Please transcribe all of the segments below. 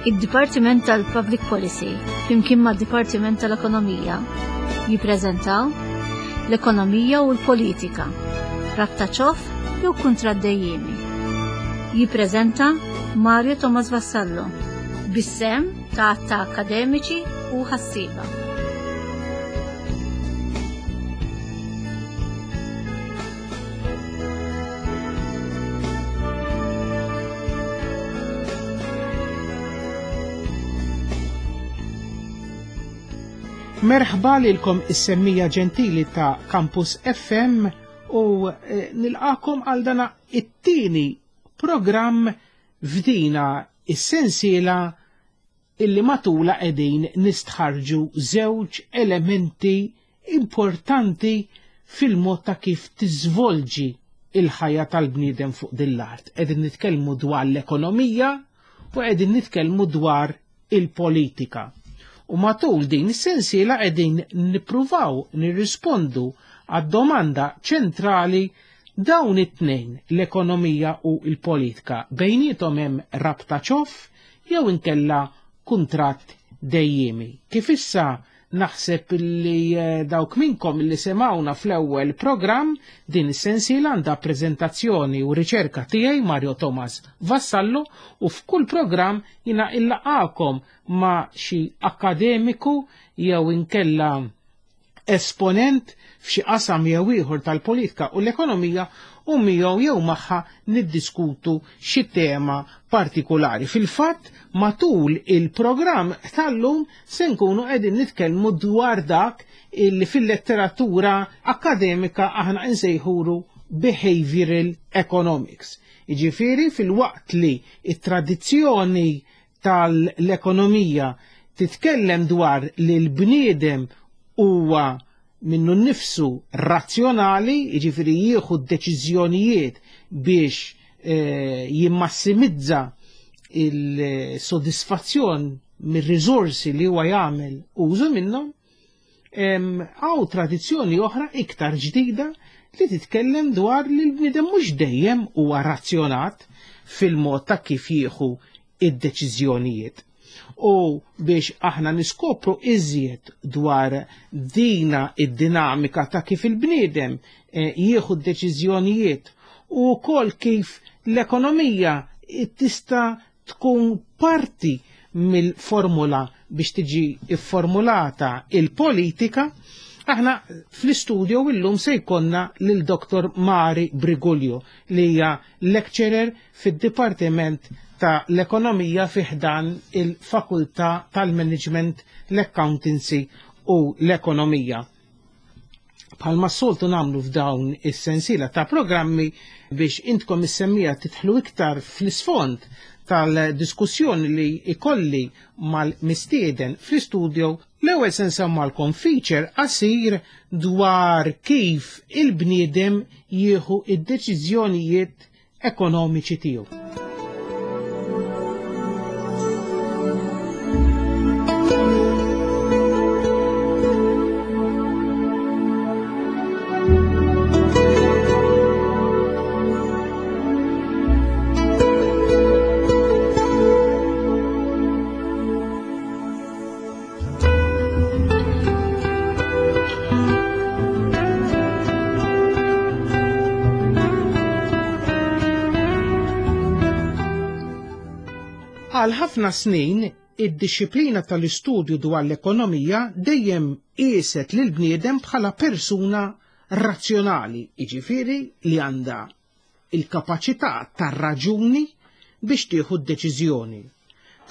Id-Dipartiment tal-Public Policy flimkien mad-Dipartiment tal-Ekonomija jippreżentaw l-Ekonomija u l-Politika, rabta ċoff jew kuntratt dejjiemi. Jippreżenta Mario Thomas Vassallo bis-sehem ta' għadd ta' akkademiċi u ħassieba. Merħba lilkom is-semmija ġentili ta' Campus FM u eh, nilqakom għal dana it-tieni programm f'dina is-sensiela illi matulha qegħdin nistħarrġu żewġ elementi importanti fil-mod ta' kif tiżvolġi il-ħajja tal-bniedem fuq din l-art. Qegħdin nitkellmu dwar l-ekonomija u qegħdin nitkellmu dwar il-politika. U matul din is-sensiela qegħdin nippruvaw nirrispondu għad-domanda ċentrali dawn it-tnejn, l-ekonomija u l-politika, bejniethom hemm rabta ċoff jew inkella kuntratt dejjiemi. Kif issa naħseb li eh, dawk minnkom li semawna fl-ewwel programm din is-sensiela għandha preżentazzjoni u riċerka tiegħi Mario Thomas Vassallo u f'kull programm jina illaqakom ma' xi akademiku jew inkella esponent f'xi qasam jew ieħor tal-politika u l-ekonomija u miegħu jew magħha niddiskutu xi tema partikulari. Fil-fatt, matul il-programm tal-lum se nkunu qegħdin nitkellmu dwar dak illi fil-letteratura akademika aħna nsejħulu behavioral economics. Jiġifieri fil-waqt li it-tradizzjoni tal-ekonomija titkellem dwar li l-bniedem huwa minnu nnifsu razzjonali, jiġifieri jieħu d-deċiżjonijiet biex eh, jimmassimizza il-sodisfazzjon mir-riżorsi li huwa jagħmel użu minnhom, Hawn tradizzjoni oħra iktar ġdida li titkellem dwar li l-bniedem mhux dejjem huwa razzjonat fil-mod ta' kif jieħu id-deċiżjonijiet. U biex aħna niskopru iżjed dwar dina id-dinamika ta' kif il-bniedem eh, jieħu d-deċiżjonijiet u wkoll kif l-ekonomija tista' tkun parti mill-formula biex tiġi fformulata il-politika, aħna fl-istudio illum se jkollna lil Dr. Mari Briguglio li hija lecturer fid-Dipartiment ta' l-Ekonomija fi ħdan il-Fakultà tal-Management, l-Accountancy u l-Ekonomija. Bħalma s-soltu nagħmlu f'dawn is-sensiela ta' programmi biex intkom is-semmija tidħlu iktar fl-isfond tal-diskussjoni li ikolli mal-mistieden fl-istudio, l-ewwel se nsemmalkom feature qasir dwar kif il-bniedem jieħu id-deċiżjonijiet ekonomiċi tiegħu. Għal ħafna snin, id-dixxiplina tal-istudju dwar l-ekonomija dejjem qieset lill-bniedem bħala persuna razzjonali, jiġifieri li għandha il-kapaċità tar-raġuni biex tieħu d-deċiżjoni.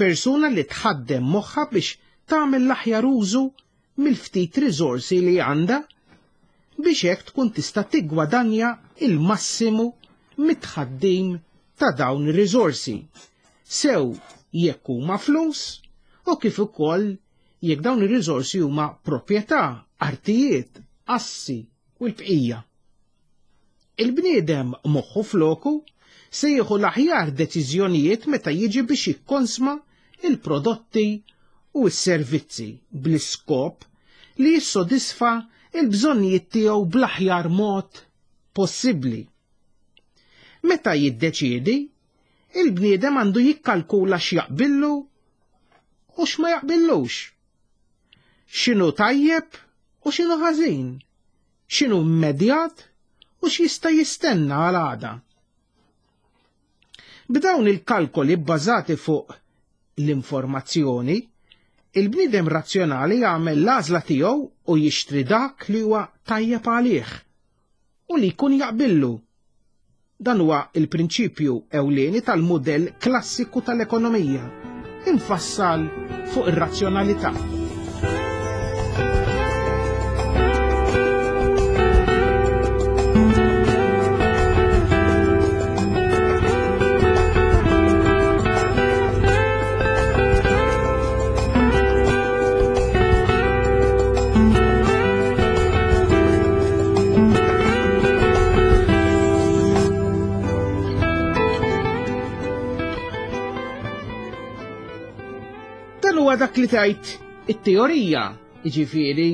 Persuna li tħaddem moħħha biex tagħmel l-aħjar użu mill-ftit riżorsi li għandha biex hekk tkun tista' tiggwadanja il-massimu mit-tħaddim ta' dawn ir-riżorsi, sew jekk huma flus u kif ukoll jekk dawn ir-riżorsi huma proprjetà, artijiet, assi u l-bqija. Il-bniedem moħħu f'loku se jieħu l-aħjar deċiżjonijiet meta jiġi biex jikkonsma l-prodotti u s-servizzi bl-iskop li jissodisfa l-bżonnijiet tiegħu bl-aħjar mod possibbli. Meta jiddeċiedi, il-bniedem għandu jikkalkula x'jaqbillu u x'ma jaqbillux. X'inhu tajjeb u x'inhu ħażin, x'inhu immedjat u x'jista' jistenna għal għada. B'dawn il-kalkoli bbażati fuq l-informazzjoni, il-bniedem razzjonali jagħmel l-għażla tiegħu u jixtri dak li huwa tajjeb għalih u li jkun jaqbillu. Dan huwa l-prinċipju ewlieni tal-mudell klassiku tal-ekonomija, imfassal fuq ir-razzjonalità. Dan huwa dak li tgħid it-teorija, jiġifieri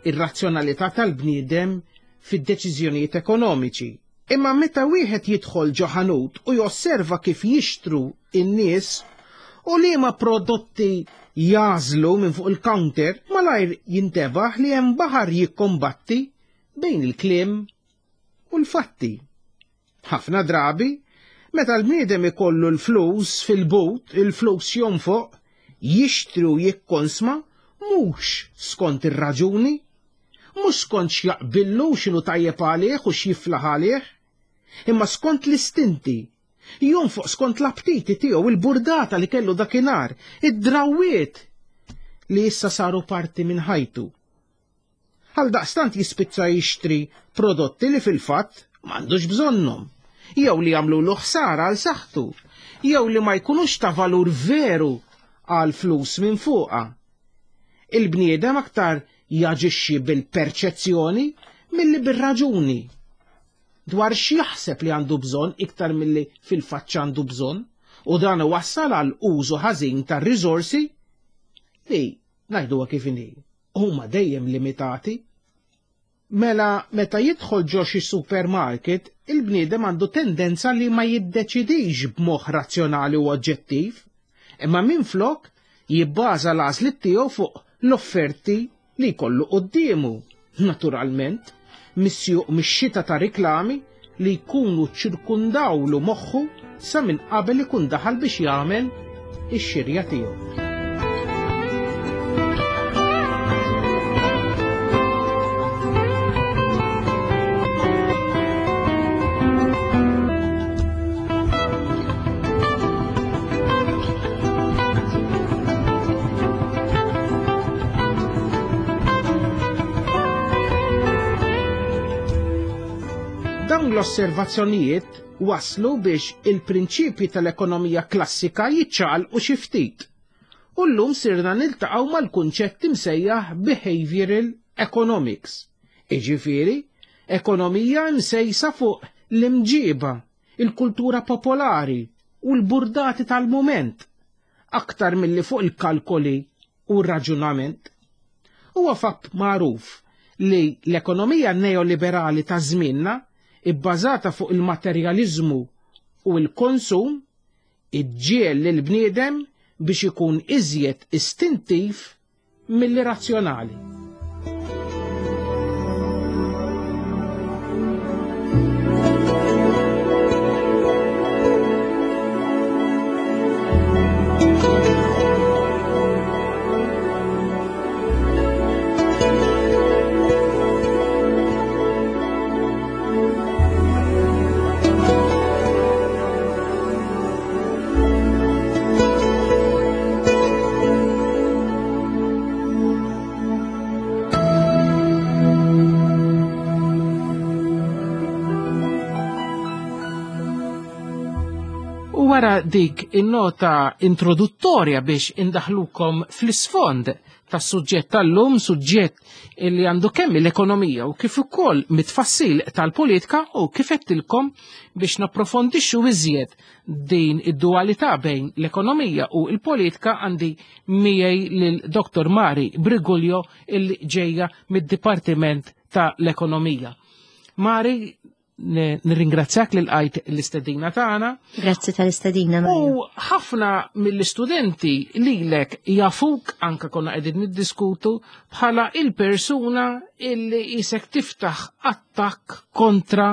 ir-razzjonalità tal-bniedem fid-deċiżjonijiet ekonomiċi. Imma meta wieħed jidħol ġo ħanut u josserva kif jixtru n-nies u liema prodotti jagħżlu minn fuq il-counter, malajr jintebaħ li hemm baħar jikkombatti bejn il-kliem u l-fatti. Ħafna drabi, meta l-bniedem ikollu l-flus fil-but, il-flus jonfoq, jixtri u jikkonsma mhux skont ir-raġuni, mhux skont x'jaqbillu u x'inhu tajjeb għalih u x'jiflaħ għalih, imma skont l-istinti, jonfoq skont l-aptiti tiegħu, il-burdata li kellu dakinhar, id-drawwiet li issa saru parti minn ħajtu. Għaldaqstant jispiċċa jixtri prodotti li fil-fatt m'għandux bżonnhom, jew li jagħmlulu ħsara għal saħħtu, jew li ma jkunux ta' valur veru għal flus minfuqa. Il-bniedem aktar jaġixxi bil-perċezzjoni milli bir-raġuni dwar x'jaħseb li għandu bżonn iktar milli fil-fatt x'għandu bżonn, u dan iwassal għal użu ħażin tar-riżorsi li, ngħiduha kif inhi, huma dejjem limitati. Mela meta jidħol ġo xi supermarket, il-bniedem għandu tendenza li ma jiddeċidix b'moħħ razzjonali u oġġettiv, imma minflok jibbaża l-għażliet tiegħu fuq l-offerti li jkollu quddiemu, naturalment, misjuq mix-xita ta' riklami li jkunu ċċirkundawlu moħħu sa minn qabel ikun daħal biex jagħmel ix-xirja tiegħu. Dawn l-osservazzjonijiet waslu biex il-prinċipji tal-ekonomija klassika jiċċaqalqu xi ftit. U llum sirna niltaqgħu mal-kunċett imsejjaħ behavioral economics, jiġifieri ekonomija msejsa fuq l-imġiba, il-kultura popolari u l-burdati tal-mument, aktar milli fuq il-kalkoli u r-raġunament. Huwa fatt magħruf li l-ekonomija neoliberali ta' żmienna, ibbażata fuq il-materjaliżmu u l-konsum, iġġiegħel lill-bniedem biex ikun iżjed istintiv milli razzjonali. U wara dik in-nota introduttorja biex indaħlukom fl-isfond tas-suġġett tal-lum, suġġett li għandu kemm l-ekonomija u kif ukoll mit-tfassil tal-politika u kif għedtilkom biex napprofondixxu iżjed din id-dualità bejn l-ekonomija u l-politika għandi miegħi lil Dr. Mari Briguglio illi ġejja mid-Dipartiment tal-Ekonomija. Mari, Nirringrazzjak li lqajt l-istedina tagħna. Grazzi tal-istedina. U ħafna mill-istudenti lilek jafuk anka konna qegħdin niddiskutu bħala il-persuna illi isek tiftaħ attakk kontra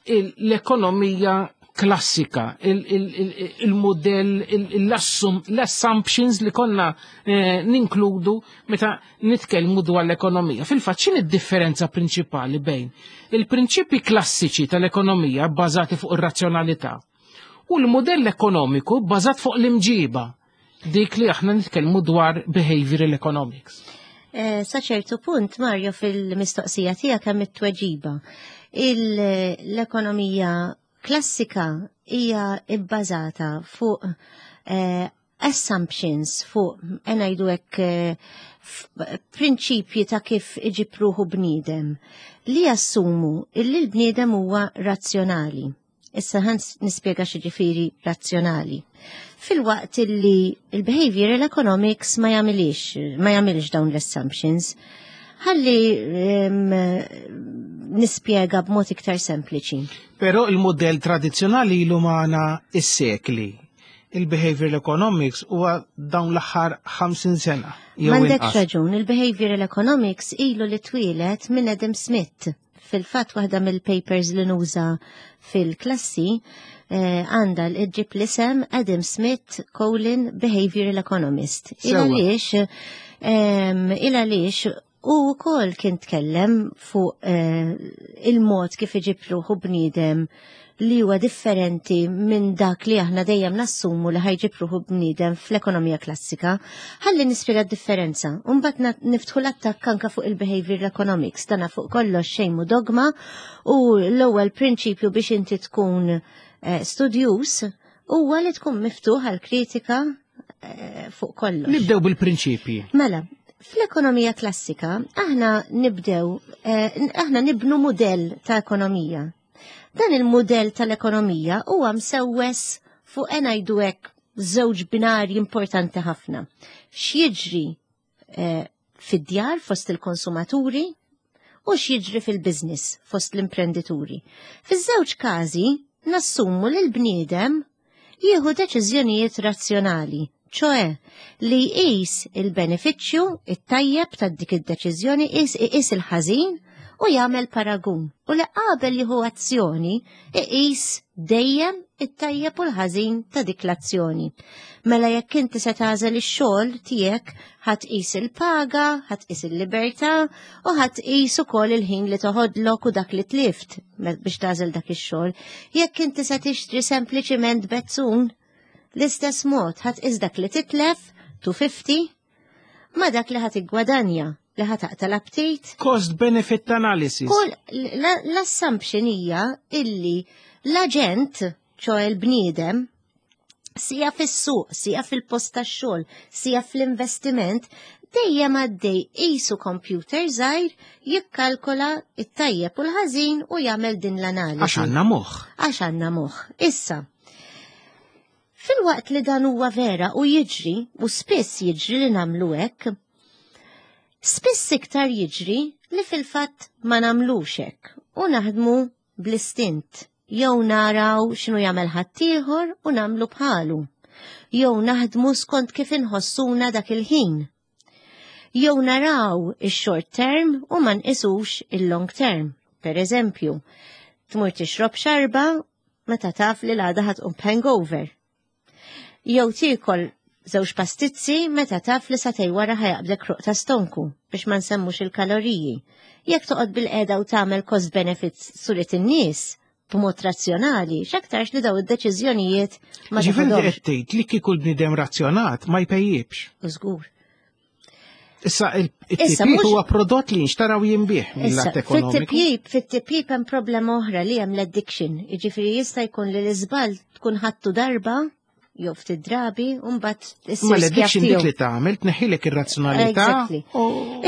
l-ekonomija klassika, il-modell, l-assumptions li konna eh, ninkludu meta nitkellmu dwar l-ekonomija. Fil-fatt, x'in id-differenza prinċipali bejn il-prinċipi klassiċi tal-ekonomija bbażati fuq ir-razzjonalità u l-modell ekonomiku bbażat fuq l-imġiba, dik li aħna nitkellmu dwar behavioral economics. Eh, sa ċertu punt, Mario, fil-mistoqsija tiegħek hemm it-tweġiba. L-ekonomija klassika hija bbażata fuq eh, assumptions, fuq eh, ngħidu hekk prinċipji ta' kif iġib ruħu bniedem li jassumu illi l-bniedem huwa razzjonali. Issa ħan nispjega x'jiġifieri razzjonali. Filwaqt illi il-behavioral economics ma jagħmilix, ma jagħmilx dawn l-assumptions. Ħalli nispjega b'mod iktar sempliċi. Però il-modell tradizzjonali ilu magħna is-sekli. Il-behavioral economics huwa dawn l-aħħar 50 sena. M'għandekx raġun, il-behavioral economics ilu li twieled minn Adam Smith. Fil-fatt waħda mill-papers li nuża fil-klassi eh, għandha l-ġib l-isem Adam Smith colon Behavioral Economist. Il għaliex il għaliex u wkoll kien tkellem fuq eh, il-mod kif iġib ruħu bniedem li huwa differenti minn dak li aħna dejjem nassumu li ħa jġib ruħu bniedem fl-ekonomija klassika. Ħalli nispjega d-differenza. Mbagħad niftħu l-attakk anka fuq il-behavioral economics. Dana fuq kollox xejn mhu dogma u l-ewwel prinċipju biex inti tkun eh, studjuż huwa li tkun miftuħ għal kritika eh, fuq kollox. Nibdew bil-prinċipji. Mela, fl-ekonomija klassika aħna nibdew, eh, aħna nibnu modell ta' ekonomija. Dan il-modell tal-ekonomija huwa msewwes fuq ngħidu hekk żewġ binarji importanti ħafna. X'jiġri eh, fid-djar fost il-konsumaturi u x'jiġri fil-business fost l-imprendituri. Fiż-żewġ każi nassumu li l-bniedem jieħu deċiżjonijiet razzjonali, ċoe li jqis il-benefiċċju it-tajjeb ta' dik id-deċiżjoni, iqis il-ħażin u jagħmel paragun. U li qabel jieħu azzjoni iqis dejjem it-tajjeb u l-ħażin ta' dik l-azzjoni. Mela jekk inti se tagħżel ix-xogħol tiegħek ħa tqis il-paga, ħa tqis il-libertà u ħa tqis ukoll il-ħin li toħodlok u dak li tlift biex tagħżel dak ix-xogħol. Jekk inti se tixtri sempliċiment bezzun, l-istess mod ħa tqis dak li titlef 250 ma dak li ħa tiggwadanja li ħa taqta' l-aptit. Cost benefit analysis. Kull l-assumption hija illi l-aġent, ċoe l-bniedem, sija fis-suq, sija fil-post tax-xogħol, sija fl-investiment, dejjem għaddej qisu computer żgħir jikkalkola it-tajjeb u l-ħażin u jagħmel din l-analiżi. Għax għandna moħħ. Għax għandna moħħ. Issa, filwaqt li dan huwa vera u jiġri, u spiss jiġri li nagħmlu hekk, spiss iktar jiġri li fil-fatt ma nagħmlux hekk u naħdmu bl-istint, jew naraw x'inhu jagħmel ħaddieħor u nagħmlu bħalu, jew naħdmu skont kif inħossuna dak il-ħin. Jew naraw ix-short term u ma nqisux il-long term. Per eżempju, tmur tixrob xarba meta taf li l-għada ħa tqum hangover. Jew tiekol żewġ pastizzi meta taf li sagħtejn wara ħa jaqbdek ħruq ta' stonku biex ma nsemmux il-kaloriji. Jekk toqgħod bil-qeda u tagħmel cost benefits surit in-nies b'mod razzjonali, x'aktarx li daw id-deċiżjonijiet ma Ġifieri teħodhomx. qed tgħid li kieku l-bniedem razzjonat ma jpejjibx. Żgur. Issa Issa, it-tipjip huwa prodott li jinxtara u jinbiegħ Issa, mill-att ekonomiku. fit-tipjip hemm problema oħra li hemm l-addiction. Jiġifieri jista' jkun li l-iżball tkun ħadtu darba jew ftit drabi u mbagħad issir Ma l-addiction skjav dik tiegħu. li tagħmel tneħħilek ir-razzjonalità Exactly.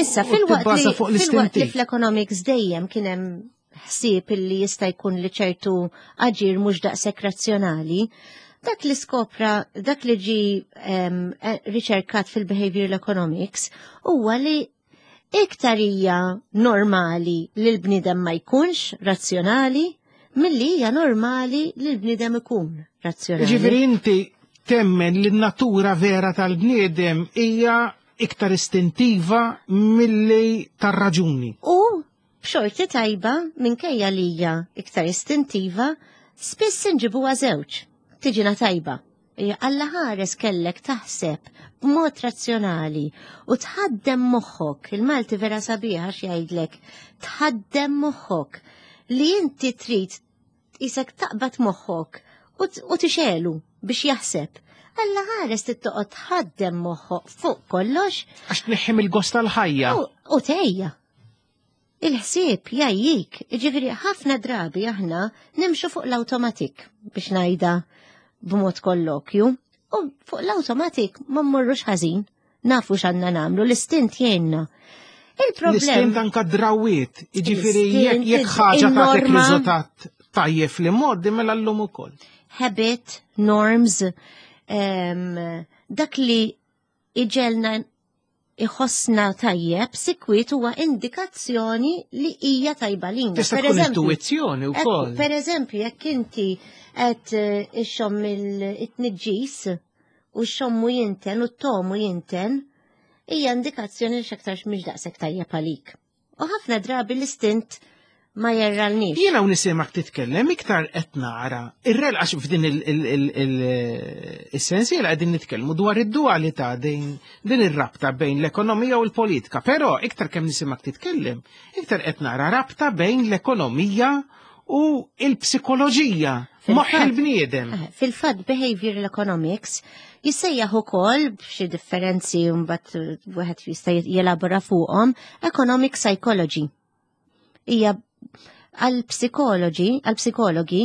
Issa, u filwaqt tibbaża li, fuq filwaqt li l-istinti. fl-economics dejjem kien hemm ħsieb illi jista' jkun li ċertu aġir mhux daqshekk razzjonali, dak li skopra, dak li ġi riċerkat fil-behavioral economics huwa li iktar hija normali li l-bniedem ma jkunx razzjonali. milli hija normali li l-bniedem ikun razzjonali. Ġifieri inti temmen li n-natura vera tal-bniedem hija iktar istintiva milli tar-raġuni. U b'xorti tajba minkejja li hija iktar istintiva, spiss inġibuha żewġ. Tiġina tajba. Alla ħares kellek taħseb b'mod razzjonali u tħaddem moħħok, il-Malti vera sabiħ għax jgħidlek, tħaddem moħħok li inti trid isek taqbad moħħok u tixelu biex jaħseb. Alla ħares tittoqgħod tħaddem moħħok fuq kollox. Għax tneħħim il-gost tal-ħajja. U tejja. Il-ħsieb jgħajjik, ġifieri ħafna drabi aħna nimxu fuq l-automatik biex ngħidha b'mod kollokju, u fuq l-automatik ma mmorrux ħażin, nafu x'għandna nagħmlu, l-istint jgħinna. Il-problem. L-istint anka drawiet, jiġifieri jekk ħaġa tagħtek riżultat tajjeb li moddi mela llum ukoll. Habit, norms, dak li iġelna iħossna tajjeb sikwit huwa indikazzjoni li hija tajba lina. Tista' tkun intuizzjoni wkoll. Per eżempju, jekk inti qed eh, ixxomm il-tniġġis u xommu jinten u t-tomu jinten, hija indikazzjoni li x'aktarx mhix daqshekk tajjeb għalik. U ħafna drabi l-istint ma jerralniex. Jiena u nisimak titkellem iktar qed nara ir-rel għax f'din il-sensiela qegħdin nitkellmu dwar id-dualità din din ir-rabta bejn l-ekonomija u l-politika. Però iktar kemm nisimak titkellem, iktar qed nara rabta bejn l-ekonomija u l-psikoloġija, moħħ il-bniedem. Eh, fil-fatt behavioral economics jissejjaħ ukoll b'xi differenzi mbagħad wieħed jista' jelabora fuqhom economic psychology. Hija għall-psikoloġi, għall-psikologi,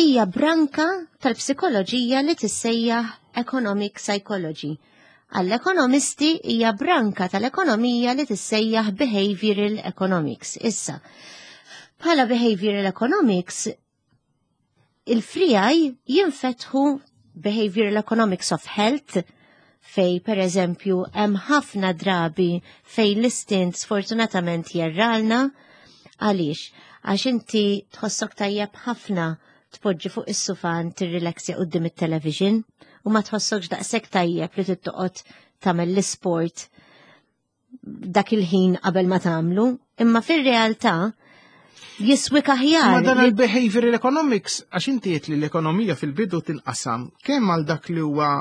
hija branka tal-psikoloġija li tissejjaħ economic psychology. Għall-ekonomisti hija branka tal-ekonomija li tissejjaħ behavioral economics. Issa, bħala behavioral economics, il-frijaj jinfetħu behavioral economics of health fej per eżempju hemm ħafna drabi fej l-istint sfortunatament jerralna għaliex għax inti tħossok tajjeb ħafna tpoġġi fuq is-sufan tirrilaxja quddiem it-television u ma tħossokx daqshekk tajjeb li tittoqgħod tagħmel l-isport dak il-ħin qabel ma tagħmlu, imma fir-realtà jiswik aħjar. Ma dan il-behavioral economics, għax inti li l-ekonomija fil-bidu tinqasam kemm għal dak li huwa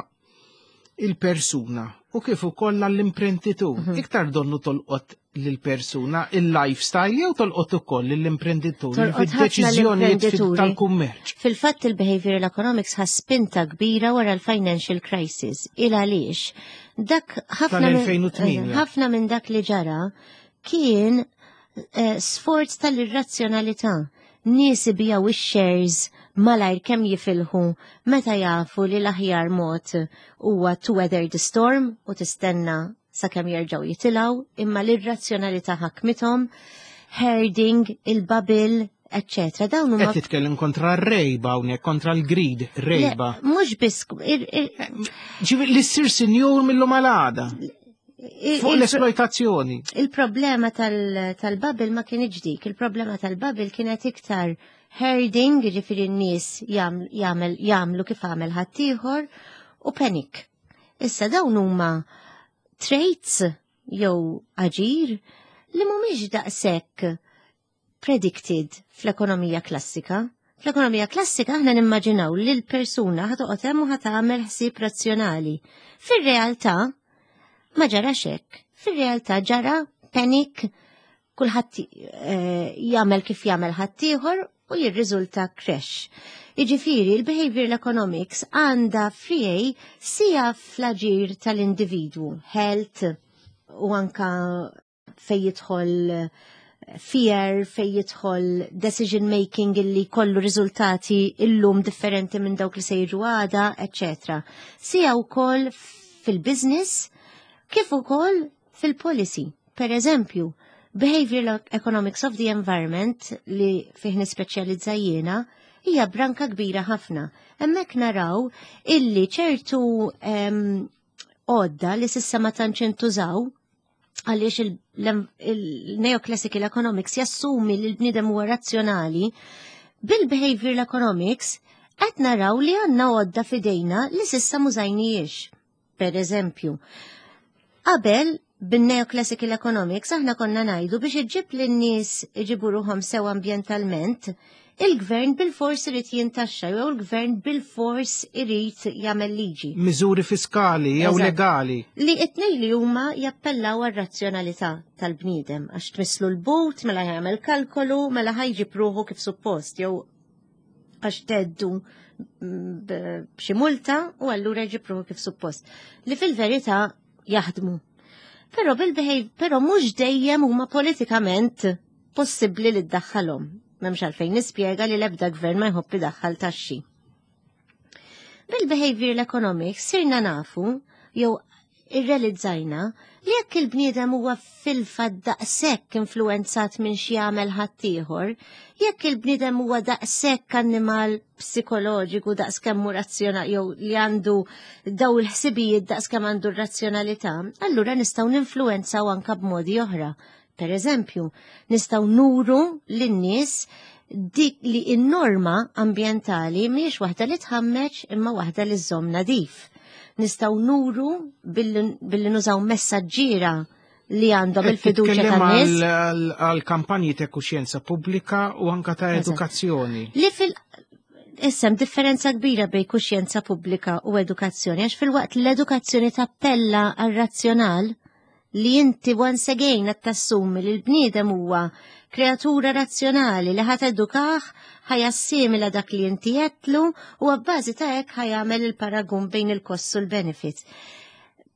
il-persuna u kif ukoll għall-imprenditur. Mhm. Iktar donnu tolqot lill-persuna il-lifestyle jew tolqot ukoll lill-imprenditur fid-deċiżjonijiet tal-kummerċ. Fil-fatt il-behavioral economics ħa spinta kbira wara l-financial crisis. Il għaliex dak ħafna minn ħafna minn dak li ġara kien eh, sforz tal-irrazzjonalità nies ibijaw ix-shares malajr kemm jifilħu meta jafu li l-aħjar mod huwa to weather the storm u tistenna sakemm jerġgħu jitilgħu, imma l-irrazzjonalità ħakmithom, herding, il-bubble, eccetera. Dawn huma Qed titkellem kontra r-rejba hawnhekk, kontra l-greed, rejba. Mhux biss Ġifieri li ssir sinjur mill-lum għal għada. Fuq l-esploitazzjoni. Il-problema tal-bubble ma kienx dik, il-problema tal-bubble kienet iktar herding, ġifieri n-nies jagħmlu kif għamel ħaddieħor u panic. Issa dawn huma traits jew aġir li mhumiex daqshekk predicted fl-ekonomija klassika. Fl-ekonomija klassika aħna nimmaġinaw li l-persuna ħatoqgħod hemm u ħatagħmel ħsieb razzjonali. Fir-realtà ma ġarax hekk. Fir-realtà ġara panic, kulħadd eh, jagħmel kif jagħmel ħaddieħor u jirriżulta crash. Jiġifieri il-behavioral economics għandha frijej sija fl-aġir tal-individwu, health u anka fej jidħol eh, fear, fej jidħol decision making illi kollu riżultati illum differenti minn dawk li se jiġu għada, etc. Sija wkoll fil-business kif ukoll fil-policy. Per eżempju, Behavioral Economics of the Environment li fih nispeċjalizza jiena hija branka kbira ħafna. Hemmhekk naraw illi ċertu għodda li sissa ma tantx intużaw għaliex il-neoclassical economics jassumi li l-bniedem huwa razzjonali, Bil-behavioral economics qed naraw li għandna għodda f'idejna li s'issa m'użajnijiex. Per eżempju, qabel bin-neoclassical economics aħna konna ngħidu biex iġġib lin-nies iġibu ruħhom sew ambjentalment, il-gvern bilfors irid jintaxxa jew il-gvern bilfors irid jagħmel liġi. Miżuri fiskali jew legali. Li it-tnejn li huma jappellaw għar-razzjonalità tal-bniedem għax tmisslu l-but mela jagħmel kalkolu mela ħajġib ruħu kif suppost jew għax teddu b'xi multa u allura jġib ruħu kif suppost. Li fil-verità jaħdmu. Però bil-behave, però mhux dejjem huma politikament possibbli li ddaħħalhom. M'hemmx għalfejn nispjega li l-ebda gvern ma jħobb idaħħal taxxi. Bil-behavioral economics sirna nafu jew irrealizzajna li jekk il-bniedem huwa fil-fatt daqshekk influwenzat minn xi jagħmel ħaddieħor, jekk il-bniedem huwa daqshekk annimal psikoloġiku daqskemm hu razzjonali jew li għandu daw il-ħsibijiet daqskemm għandu r-razzjonalità, allura nistgħu ninfluwenzaw anka b'modi oħra. Per eżempju, nistgħu nuru lin-nies dik li n-norma ambjentali mhijiex waħda li tħammeġ imma waħda li żżomm nadif. Nistgħu nuru billi nużaw messaġġiera li għandhom il-fiduċja tan-nies. Għal kampanji ta' kuxjenza pubblika u anka ta' edukazzjoni. Li fil Issa differenza kbira bej kuxjenza pubblika u edukazzjoni, għax fil-waqt l-edukazzjoni tappella għal razzjonal li inti once again qed tassumi li l-bniedem huwa kreatura razzjonali li ħa tedukaħ, ħa jassimila dak li inti għedtlu u għabbażi ta' hekk ħa jagħmel il-paragun bejn il-kost u l-benefits.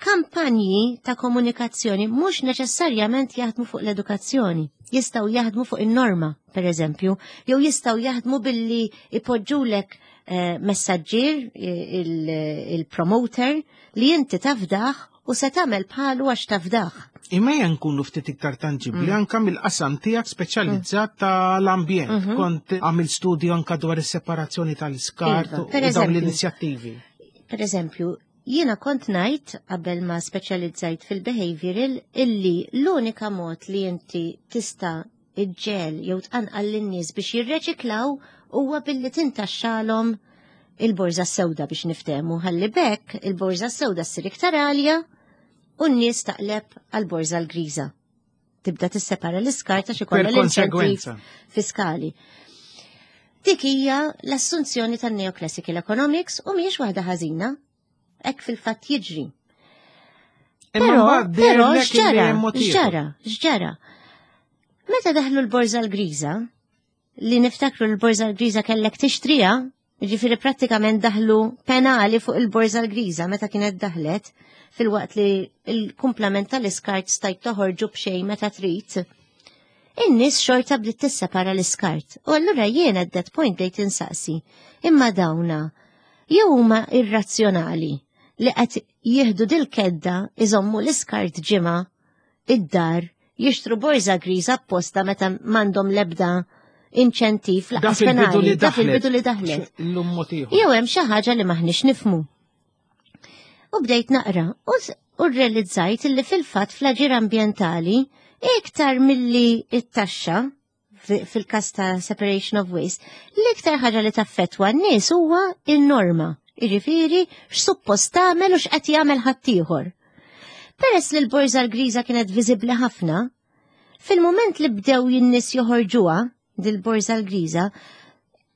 Kampanji ta' komunikazzjoni mhux neċessarjament jaħdmu fuq l-edukazzjoni. Jistgħu jaħdmu fuq in-norma, per eżempju, jew jistgħu jaħdmu billi ipoġġulek eh, messaġġier, eh, il-promoter, li inti tafdaħ u se tagħmel bħalu għax tafdah. Imma ejja nkunu ftit iktar tanġibli mm. anka mill-qasam tiegħek speċjalizzat mm. tal-ambjent. Mm-hmm. Kont għamil studju anka dwar is-separazzjoni tal-iskart iva, u dawn l-inizjattivi. Per eżempju, jiena kont ngħid qabel ma speċjalizzajt fil-behavioral illi l-unika mod li inti tista' iġġel jew tqanqal lin-nies biex jirreċiklaw huwa billi tintaxxalhom il-borża sewda biex niftehmu ħalli bekk il-borża sewda ssir iktar għalja u n-nies taqleb għal-borża l-griża. Tibda tissepara l-iskart għax ikollha l-inċentiv fiskali. Dik hija l-assunzjoni tan-neoclassical economics u mhijiex waħda ħażina. Hekk fil-fatt jiġri. Però, però x'ġara, x'ġara, x'ġara. Meta daħlu l-borża l-griża, li niftakru l-borża l-griża kellek tixtriha, ġifieri prattikament daħlu penali fuq il-borża l-griża meta kienet daħlet, filwaqt li l-kumplament tal-iskart stajt toħorġu b'xejn meta trid. In-nies xorta bdiet tissepara l-iskart. U allura jien at that point bdejt insaqsi, imma dawna jew huma irrazzjonali li qed jieħdu dil-kedda iżommu l-iskart ġimgħa id-dar jixtru borża griża apposta meta m'għandhom l-ebda inċentiv laqas penali da fil-bidu li daħlet. Jew hemm xi ħaġa li maħniex nifmu. U bdejt naqra u rrealizzajt li fil-fatt fl-aġir ambjentali iktar milli it-taxxa fil-kas ta' separation of waste, l-iktar ħaġa li taffetwa n-nies huwa in-norma. Jiġifieri x'suppost tagħmel u x'qed jagħmel ħaddieħor. Peress li l-borża l-griża kienet viżibbli ħafna, fil-mument li bdew in-nies joħorġuha dil-borża l-griża,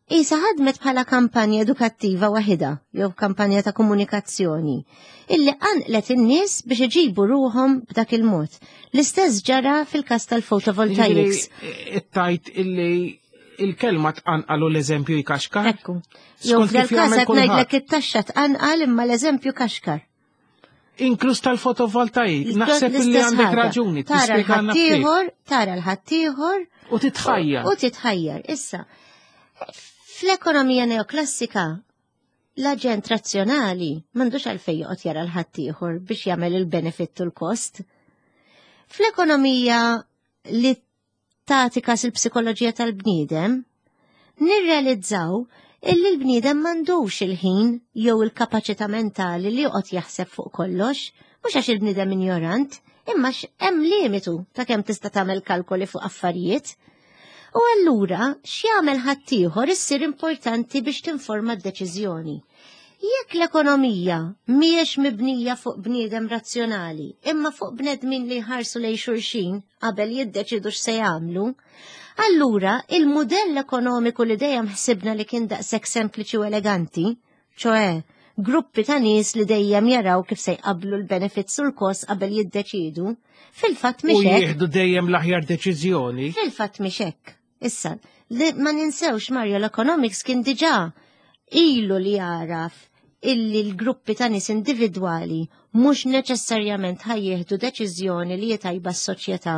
Isa ħadmet bħala kampanja edukattiva waħida jew kampanja ta' komunikazzjoni illi qanqlet in-nies biex iġibu ruhom b'dak il-mod. L-istess ġara fil-każ tal-photovoltaics. It-tajt illi il-kelma tqanqal u l-eżempju jkaxkar. Ekku. Jew f'dal-każ qed ngħidlek it-taxxa tqanqal imma l-eżempju kaxkar. Inkluż tal-fotovoltaik, naħseb li għandek raġuni. Tara l-ħaddieħor, tara l-ħaddieħor. U titħajjar. U titħajjar. Issa, fl-ekonomija neoklassika, l-aġent razzjonali m'għandux għalfejn joqgħod jara l-ħaddieħor biex jagħmel il-benefit u l-kost. Fl-ekonomija li tagħti kas il-psikoloġija tal-bniedem, nirrealizzaw illi l-bniedem m'għandux il-ħin jew il-kapaċità mentali li joqgħod jaħseb fuq kollox, mhux għax il-bniedem injorant, imma hemm limitu ta' kemm tista' tagħmel kalkoli fuq affarijiet. U allura x'jagħmel ħaddieħor issir importanti biex tinforma d-deċiżjoni. Jekk l-ekonomija mhijiex mibnija fuq bniedem razzjonali, imma fuq bnedmin li jħarsu lejn xulxin qabel jiddeċidu x'se jagħmlu, allura il-mudell ekonomiku li dejjem ħsibna li kien daqshekk sempliċi u eleganti, ċoe gruppi ta' nies li dejjem jaraw kif se jqablu l-benefits u l-kost qabel jiddeċidu, fil-fatt U mhix hekk. jieħdu dejjem l-aħjar deċiżjoni. Fil-fatt mhix hekk. Issa, li ma ninsewx Mario l-economics kien diġà ilu li jaraf illi l-gruppi ta' nies individwali mhux neċessarjament ħa jieħdu deċiżjoni li tajba s-soċjetà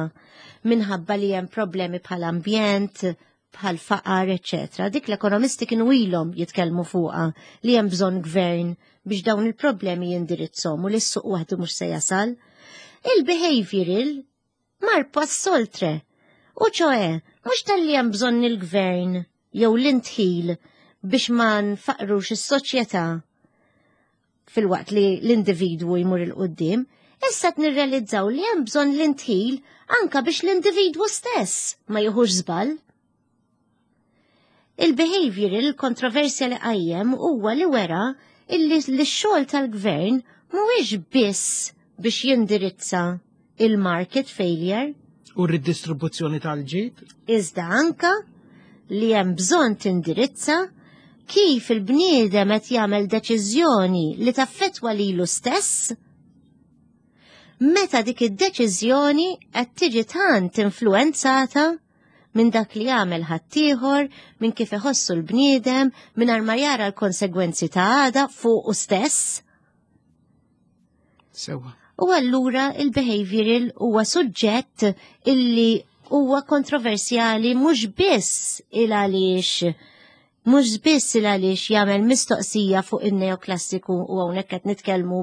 minħabba li hemm problemi bħal ambjent, bħal faqar, eċetera. Dik l-ekonomisti kienu ilhom jitkellmu fuqha li hemm bżonn gvern biex dawn il-problemi jindirizzhom u li s-suq waħdu mhux se jasal. Il-behavioral mar pass oltre. U ċoe, mhux talli hemm bżonn il-gvern jew l-indħil biex ma nfaqrux is-soċjetà filwaqt li l-individwu jmur 'il quddiem, issa qed nirrealizzaw li hemm bżonn l-indħil anka biex l-individwu stess ma jieħux żball. Il-behavioral il-kontroversja li qajjem huwa li wera illi l-xogħol tal-gvern mhuwiex biss biex jindirizza il-market failure, U r-ridistribuzzjoni tal-ġid. iżda anka li hemm bżonn tindirizza kif il-bniedem qed jagħmel deċiżjoni li taffetwa lilu stess meta dik id-deċiżjoni qed tiġi tant influenzata minn dak li jagħmel ħaddieħor, minn kif iħossu l-bniedem, mingħajr ma jara l-konsegwenzi ta' għada fuqu stess. Sewa. U allura il-behavioral huwa suġġett illi huwa kontroversjali mhux biss il għaliex mhux biss il għaliex jagħmel mistoqsija fuq in-neoklassiku u hawnhekk qed nitkellmu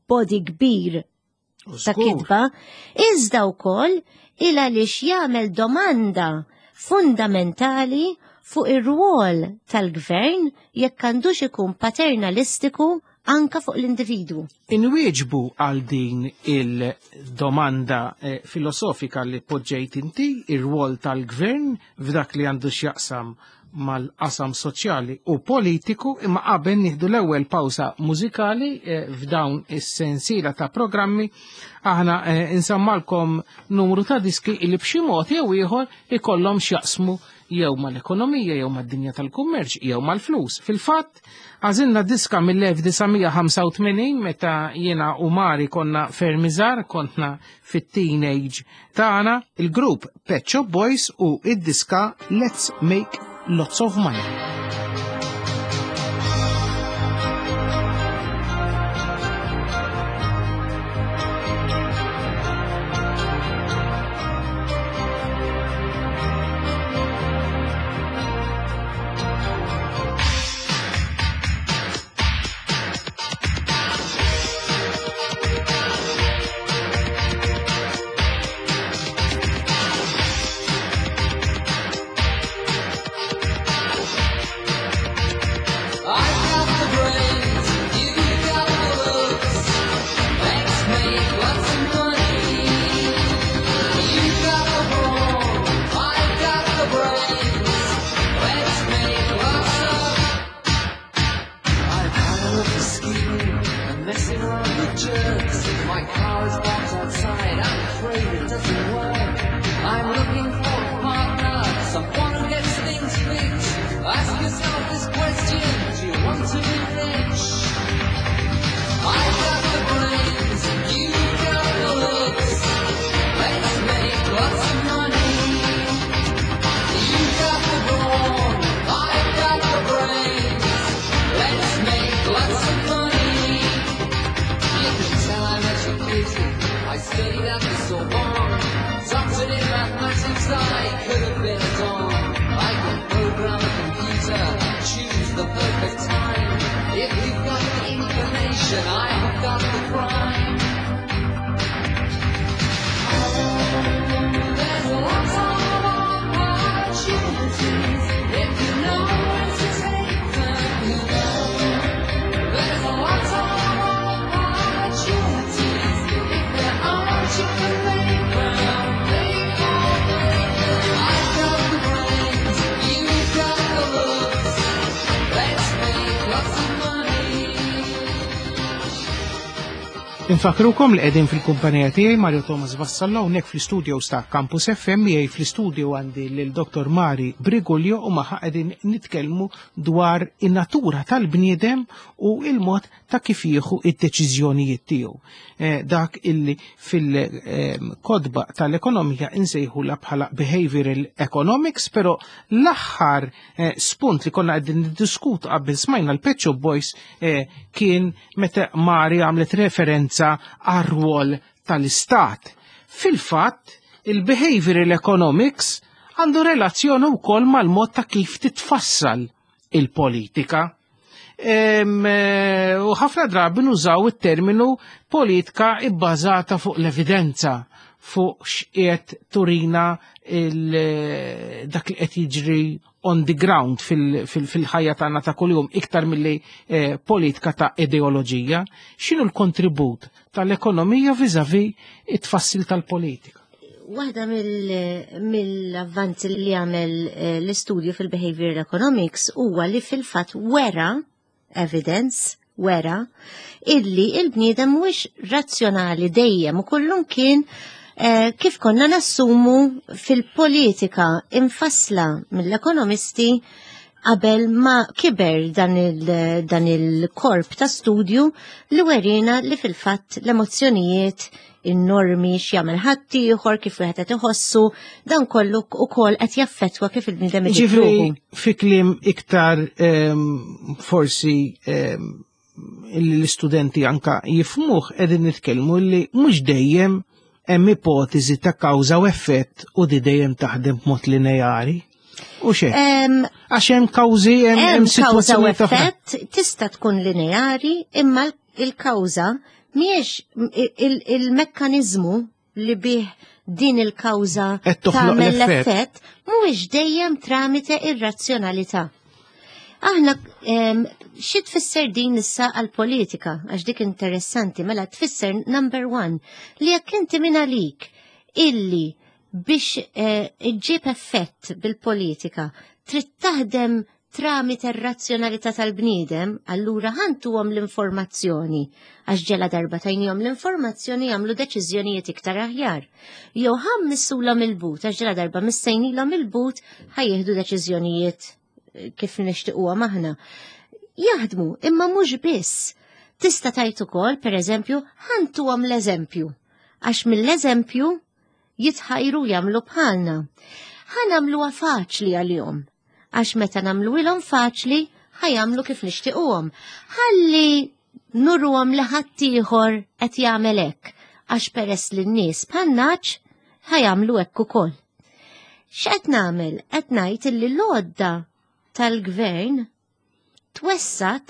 body kbir U ta' żgur. kitba, iżda wkoll il għaliex jagħmel domanda fundamentali fuq ir-rwol tal-gvern jekk għandux ikun paternalistiku anka fuq l-individwu. Inwieġbu għal din il-domanda filosofika li poġġejt inti, ir-rwol tal-gvern f'dak li għandu x'jaqsam mal-qasam soċjali u politiku, imma qabel nieħdu l-ewwel pawsa mużikali f'dawn is-sensiela ta' programmi aħna insammalkom numru ta' diski li b'xi mod jew ieħor ikollhom x'jaqsmu jew mal-ekonomija, jew mad-dinja tal-kummerċ, jew mal-flus. Fil-fatt, għażilna diska mill-1985 meta jiena u Mari konna ferm iżgħar, kontna fit-teenage tagħna, il-grupp Pet Shop Boys u id-diska Let's Make Lots of Money. I've got the brains, you've got the looks. Let's make lots of money. You've got the brawn, I've got the brains. Let's make lots of. I'm tired of the scheming and messing around with jerks. My car is parked outside, I'm afraid it doesn't work. I'm looking for a partner, someone who gets things fixed. Ask yourself this question, do you want to be rich? I've got the brains, you've got the looks. Let's make lots of money. You've got the brawn, I've got the brains. Let's make lots of money. You can tell I'm educated. I studied at the Sorbonne. Doctored in mathematics, I could have been a don. I can program a computer, choose the perfect time. If you've got the inclination, I have got the crime. There's lots of opportunities if you know when to take them. You know. There's lots of opportunities. If there aren't, you can make them. Make or break them. I've got Infakrukom li qegħdin fil-kumpanija tiegħi Mario Thomas Vassallo hawnhekk fl-istudios ta' Campus FM. Miegħi fl-istudio għandi lil Dr. Mari Briguglio u magħha qegħdin nitkellmu dwar in-natura tal-bniedem u il-mod ta' kif jieħu id-deċiżjonijiet tiegħu. Dak illi fil-kodba tal-ekonomija insejħula bħala behavioral economics, però l-aħħar spunt li konna qegħdin niddiskutu qabel smajna l-Pet Shop Boys kien meta Mari għamlet referenza għar-rwol tal-istat. Fil-fatt, il-behavioral economics għandu relazzjoni wkoll mal-mod ta' kif titfassal il-politika. U ħafna drabi nużaw it-terminu politika ibbażata fuq l-evidenza, fuq x'qiegħed turina dak li qed jiġri on the ground fil-ħajja tagħna ta' kuljum iktar milli politika ta' ideoloġija. X'inhu l-kontribut tal-ekonomija viżavi it-tfassil tal-politika? Waħda mill-avvanzi li għamel l-istudju fil-behavioral economics huwa li fil-fatt wera evidence, wera illi il-bniedem mhuwiex razzjonali dejjem u kullum kien kif konna nassumu fil-politika infassla mill-ekonomisti qabel ma kiber dan il-korp ta' studju li werina li fil-fatt l-emozzjonijiet, in-normi, x'jagħmel ħaddieħor, kif wieħed qed iħossu, dan kollu ukoll qed jaffettwa kif il-bniedem iġib Ġifri, ruħu. fi kliem iktar forsi l-istudenti anka jifmuh, qegħdin nitkellmu li mhux dejjem hemm ipotezi ta' kawża u effett u di dejjem taħdem b'mod lineari. U xejn. Għax hemm kawżi, hemm Hemm kawża u sitwazzjonijiet oħra. effett tista' tkun lineari, imma il-kawża mhijiex il-mekkaniżmu li bih din il-kawża Qed toħloq tagħmel l-effett. l-effett mhuwiex dejjem tramite ir-razzjonalità. Aħna xi tfisser din issa għall-politika, għax dik interessanti, mela tfisser number one li jekk inti minn għalik illi biex iġġib effett bil-politika trid taħdem tramite r-razzjonalità tal-bniedem, allura ħantuhom l-informazzjoni, għax ġela darba tajnihom l-informazzjoni jagħmlu deċiżjonijiet iktar aħjar. Jew ħammissulhom il-but, għax ġela darba missejnilhom il-but ħajjieħdu deċiżjonijiet kif nixtiequhom aħna. Jaħdmu, imma mhux biss. Tista' tgħid ukoll, pereżempju, ħantuhom l-eżempju, għax mill-eżempju jitħajru jagħmlu bħalna. Ħa nagħmluha faċli għalihom, għax meta nagħmluhilhom faċli ħajamlu kif nixtiequhom. Ħalli nurruhom li ħaddieħor qed jagħmel hekk, għax peress li n-nies bħan-naċ ħajamlu hekk ukoll. X'qed nagħmel? Qed ngħid illi l-għodda tal-gvern twessat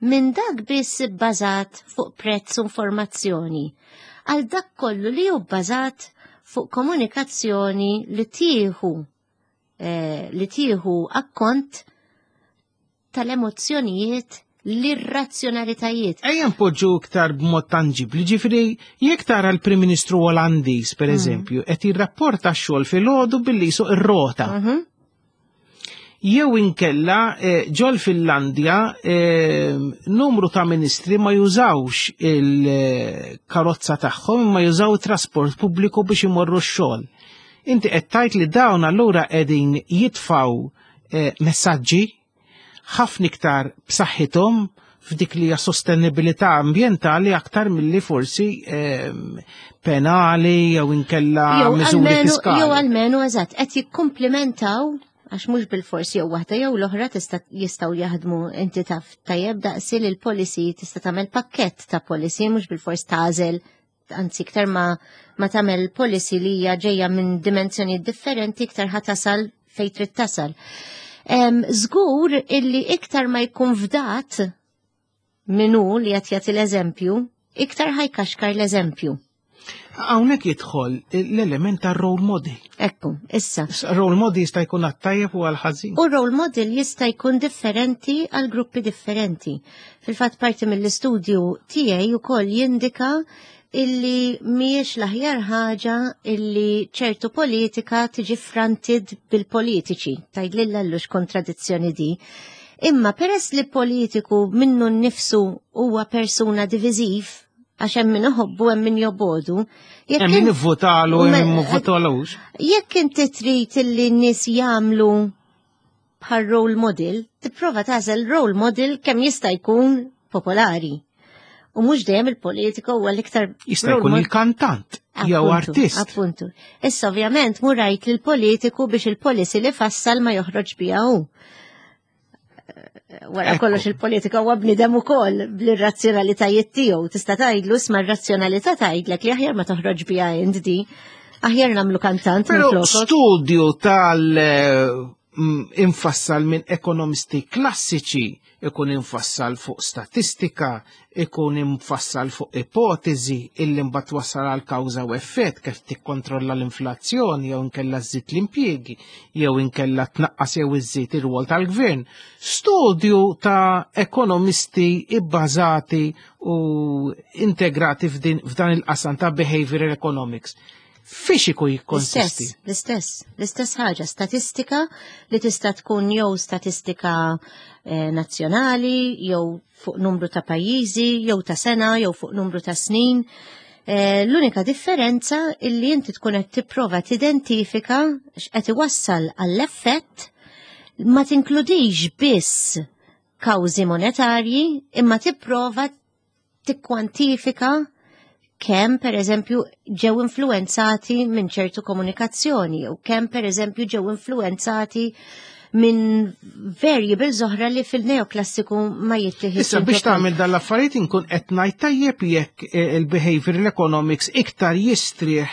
minn dak biss bbażat fuq prezz u informazzjoni għal dak kollu li hu bbażat fuq komunikazzjoni li tieħu akkont tal-emozzjonijiet, l-irrazzjonalitajiet. Ejja npoġġu iktar b'mod tangibli, ġifieri jekk tara l-Prim Ministru Olandiż, per eżempju, qed jirrapporta x-xogħol filgħodu billi jsuq ir-rota. Jew inkella ġol Finlandja numru ta' ministri ma jużawx il-karozza tagħhom imma jużaw trasport pubbliku biex imorru x-xogħol. Inti qed tgħid li dawn allura qegħdin jitfaw messaġġi ħafna iktar b'saħħithom f'dik li hija sostenibilità ambjentali aktar milli forsi penali jew inkella Jew miżuri fiskali. Jew almenu eżatt qed jikkumplimentaw, għax mhux bil-forsi jew waħda jew l-oħra tista' jistgħu jaħdmu, inti taf tajjeb daqsi li l-policy tista' tagħmel pakkett ta' policy, mhux bil-fors tagħżel, anzi iktar ma tagħmel policy li hija ġejja minn dimensjoni differenti iktar ħa tasal fejn trid tasal. Żgur illi iktar ma jkun fdat minnu li qed jagħti l-eżempju, iktar ħajkaxkar l-eżempju. Hawnhekk jidħol l-element ta' role model. Ekku, issa. Role model jista' jkun għat-tajjeb u għall-ħażin. U role model jista' jkun differenti għal gruppi differenti. Fil-fatt parti mill-istudju tiegħi wkoll jindika illi mhijiex l-aħjar ħaġa illi ċertu politika tiġi fronted bil-politiċi. Tgħid lil allux kontradizzjoni di. Imma peress li politiku minnu nnifsu huwa persuna diviżiv, għax hemm min iħobbu hemm min jobodu. Hemm min ivvotalu hemm min votalux. Jekk inti trid illi n-nies jagħmlu bħal role model, tipprova tagħżel role model kemm jista' jkun popolari. U mhux dejjem il-politiku huwa l-iktar Jista' jkun il-kantant jew artist. Appuntu. Issa ovvjament mhu rajt lill politiku biex il-policy li fassal ma joħroġ biha hu. Wara kollox il-politika huwa bniedem ukoll bl-irrazzjonalitajiet tiegħu. Tista' tgħidlu isma' r-razzjonalità tgħidlek li aħjar ma toħroġ biha int di. Aħjar nagħmlu kantant. Però studju tal infassal minn ekonomisti klassiċi ikun infassal fuq statistika, ikun infassal fuq ipotezi illi mbagħad wassal għal kawża u effett kif tikkontrolla l-inflazzjoni jew inkella żżid l-impjiegi jew inkella tnaqqas jew iżżid ir-rwol tal-gvern. Studju ta' ekonomisti ibbażati u integrati f'dan il-qasam ta' behavioral economics. Fiex ikun jikkonsisti? L-istess, l-istess ħaġa, statistika li tista' tkun jew statistika nazzjonali, jew fuq numru ta' pajjiżi, jew ta' sena, jew fuq numru ta' snin. L-unika differenza illi inti tkun qed tipprova tidentifika x'qed iwassal għall-effett ma tinkludix biss kawżi monetarji, imma tipprova tikkwantifika kemm per eżempju ġew influenzati minn ċertu komunikazzjoni u kemm per eżempju ġew influenzati minn variables oħra li fil-neoklassiku ma jittieħed. Issa biex tagħmel dan l-affarijiet inkun qed ngħid tajjeb jekk il-behavioral economics iktar jistrieħ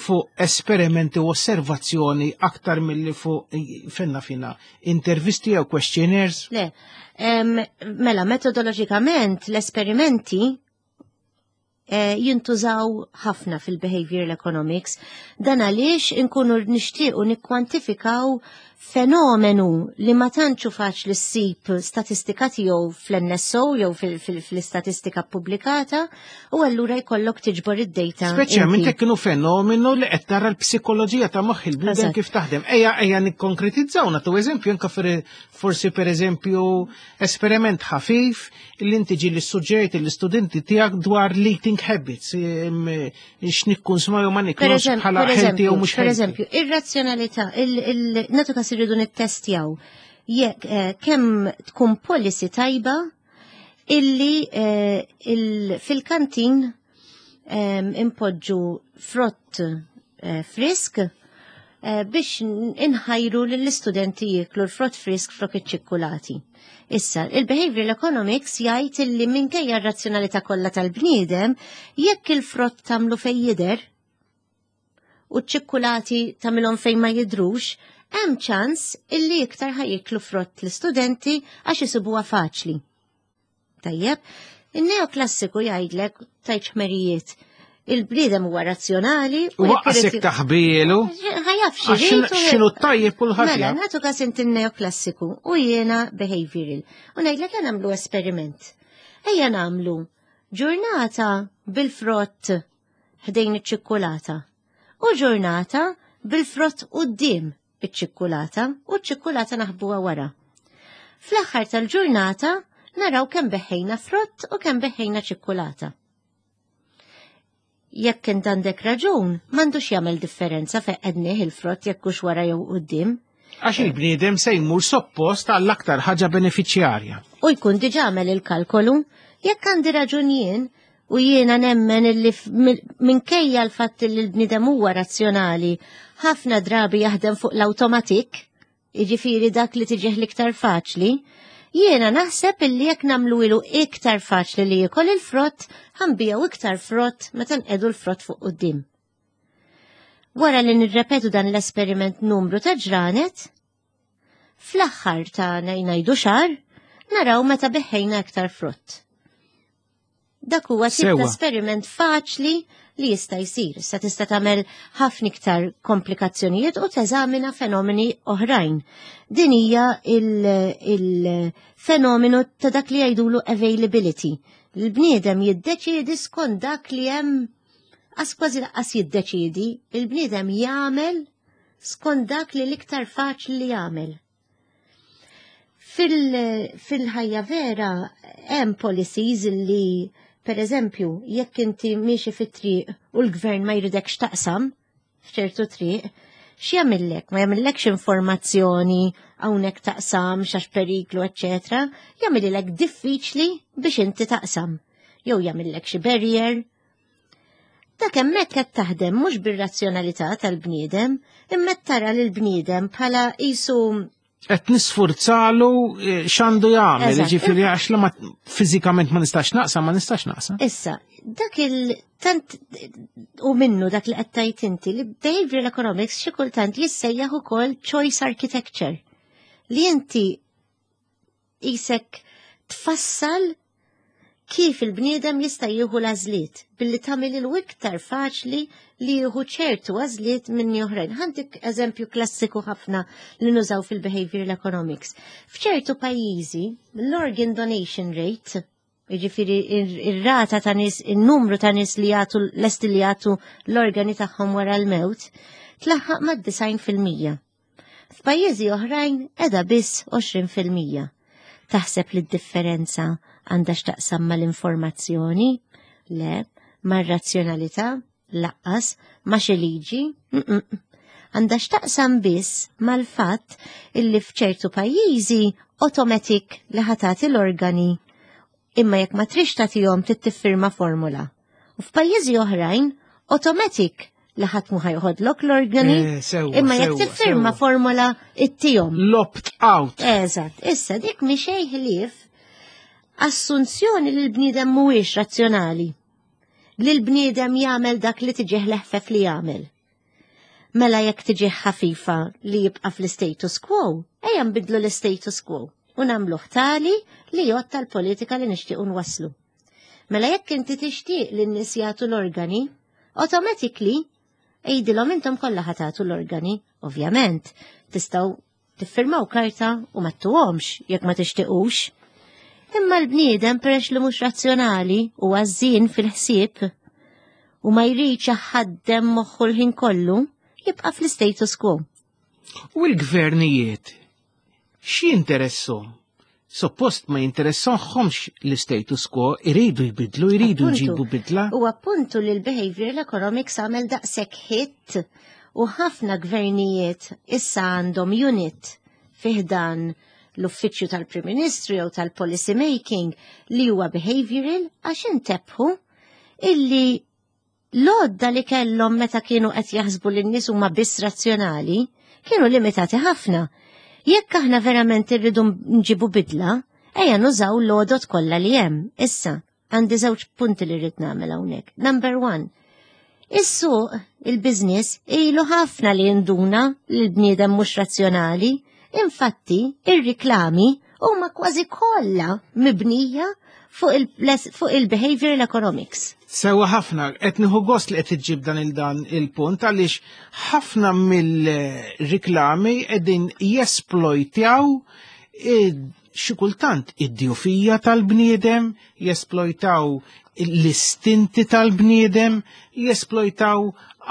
fuq esperimenti u osservazzjoni aktar milli fuq fenna fina intervisti jew questionnaires? Le, mela metodoloġikament l-esperimenti jintużaw ħafna fil-behavioral economics. Dan għaliex inkunu nixtiequ nikkwantifikaw fenomenu li ma tantx hu faċli ssib statistika tiegħu fl-NSO jew fl-istatistika pubblikata u allura jkollok tiġbor id-data. Speċjalment jekk kienu fenomenu li qed tara l-psikoloġija ta' moħħ il-bniedem kif taħdem. Ejja, ejja nikkonkretizzaw nagħtu eżempju anke forsi pereżempju esperiment ħafif li inti ġieli ssuġġerejt lill-istudenti tiegħek dwar l-eating habits, x'nikkunsmaw jew ma niklux bħala healthy jew mhux healthy. Pereżempju, ir-razzjonalità, nagħtu każ irridu nittestjaw jekk kemm tkun policy tajba illi fil-kantin impoġġu frott frisk biex inħajru lill-istudenti jieklu l-frott frisk flok iċ-ċikkulati. Issa, il-behavioral economics jgħid illi minkejja r-razzjonalità kollha tal-bniedem, jekk il-frott tagħmlu fejn jidher u ċ-ċikkulati tagħmilhom fejn ma jidhrux, hemm ċans illi iktar ħajiklu frott l-istudenti għax isibuha faċli. Tajjeb, in-neoklassiku jgħidlek tajt ħmerijiet. Il-bniedem huwa razzjonali u waqasek taħbielu. Ħajaf xi x'inhu tajjeb kulħadd. Mela, nagħtu każ inti n-neoklassiku u jiena behavioral. U ngħidlek ejja nagħmlu esperiment. Ejja nagħmlu ġurnata bil-frott ħdejn iċ-ċikkulata u ġurnata bil-frott quddiem iċ-ċikkulata u ċ-ċikkulata naħbuha wara. Fl-aħħar tal-ġurnata naraw kemm beħħejna frott u kemm beħħejna ċikkulata. Jekk int għandek raġun, m'għandux jagħmel differenza fejn qednih il-frott jekk hux wara jew quddiem. Għax il-bniedem se jmur soppost għall-aktar ħaġa benefiċjarja. U jkun diġà għamel il-kalkolu, jekk għandi raġun jien, u jiena nemmen illi minkejja l-fatt li l-bniedem huwa razzjonali, ħafna drabi jaħdem fuq l-awtomatik, jiġifieri dak li tiġih l-iktar faċli, jiena naħseb illi jekk nagħmlu ilu iktar faċli li jiekol il-frott, ħanbiegħu iktar frott meta nqegħdu l-frott fuq quddiem. Wara li nirrepetu dan l-esperiment numru ta' ġranet, fl-aħħar ta' ngħidu xahar, naraw meta beħħejna iktar frott. Dak huwa tip ta' esperiment faċli li jista' jsir. Issa tista' tagħmel ħafna iktar komplikazzjonijiet u teżamina fenomeni oħrajn. Din hija il-fenomenu ta' dak li jgħidulu availability. Il-bniedem jiddeċiedi skont dak li hemm għas kważi laqqas jiddeċiedi, il-bniedem jagħmel skont dak li l-iktar faċli li jagħmel. Fil-ħajja vera hemm policies li Per eżempju, jekk inti miexi fit-triq u l-gvern ma jridekx taqsam f'ċertu triq, x'jagħmillek? Ma jagħmillekx informazzjoni hawnhekk taqsam x'għax periklu, eċċetera, jagħmililek diffiċli biex inti taqsam. Jew jagħmillek xi barrier. Dak hemmhekk qed taħdem mhux bir-razzjonalità tal-bniedem, imma tara lil bniedem bħala qisu qed nisfurzalu eh, x'għandu jagħmel, jiġifieri għax la ma fiżikament ma nistax naqsam, ma nistax naqsam. Issa, dak il tant u minnu dak li qed tgħid inti li behavioral economics xi kultant jissejjaħ ukoll choice architecture li inti isek tfassal kif il-bniedem jista' jieħu l-għażliet billi tagħmel il iktar faċli li jieħu ċertu għażliet minn oħrajn. Ħantik eżempju klassiku ħafna li nużaw fil-behavioral economics. F'ċertu pajjiżi l-organ donation rate, jiġifieri ir-rata ta' nies, in-numru ta' nies li jagħtu lesti li jagħtu l-organi tagħhom wara l-mewt, tlaħħaq mad-90%. F'pajjiżi oħrajn qiegħda biss 20%. Taħseb li d-differenza għandha x'taqsam mal-informazzjoni? Le, mar-razzjonalità? Laqqas, ma' xi liġi? Għandha x'taqsam biss mal-fatt illi f'ċertu pajjiżi automatic li ħa tagħti l-organi imma jekk ma trix tagħtihom trid tiffirma formula. U f'pajjiżi oħrajn automatic li ħadd mu ħajħodlok l-organi, eh, imma jekk tiffirma formula ittihom. L-opt out. Eżatt, issa dik mi xejn ħlief assunzjoni li l-bniedem mhuwiex razzjonali. Li l-bniedem jagħmel dak li tiġih leħfef li jagħmel. Mela jekk tiġih ħafifa li jibqa' fl-status quo, ejja nbidlu l-status quo u nagħmluh tali li jgħod tal-politika li nixtiequ nwasslu. Mela jekk inti tixtieq li n-nies jagħtu l-organi, automatically għidilhom intom kollha ħa tagħtu l-organi, ovvjament, tistgħu tiffirmaw karta u ma ttuhomx jekk ma tixtiqux. Imma l-bniedem peress li mhux razzjonali u għażżien fil-ħsieb u ma jridx jaħaddem moħħu l-ħin kollu, jibqa' fl-status quo. U l-gvernijiet x'jinteresshom? Suppost ma jinteressahomx l-status quo, iridu jbidlu, iridu jġibu bidla. U appuntu li l-behavioral economics għamel daqshekk hit u ħafna gvernijiet issa għandhom unit fiħdan l-uffiċċju tal-Prim Ministru jew tal-policy making li huwa behavioral għax intebħu illi l-għodda li kellhom meta kienu qed jaħsbu li n-nies huma biss razzjonali kienu limitati ħafna. Jekk aħna verament irridu nġibu bidla, ejja nużaw l-għodot kollha li hemm. Issa, għandi żewġ punti li rrid nagħmel hawnhekk. Number one, is-suq, il-business, ilu ħafna li jinduna li l-bniedem mhux razzjonali. Infatti, ir-riklami huma kważi kollha mibnija fuq il-behavioral economics. Sewa ħafna, qed nieħu gost li qed iġġib dan il-dan il-punt għaliex ħafna mill-riklami qegħdin jesplojtjaw xi kultant id-djufija tal-bniedem, jesplojtaw l-istinti tal-bniedem, jesplojtaw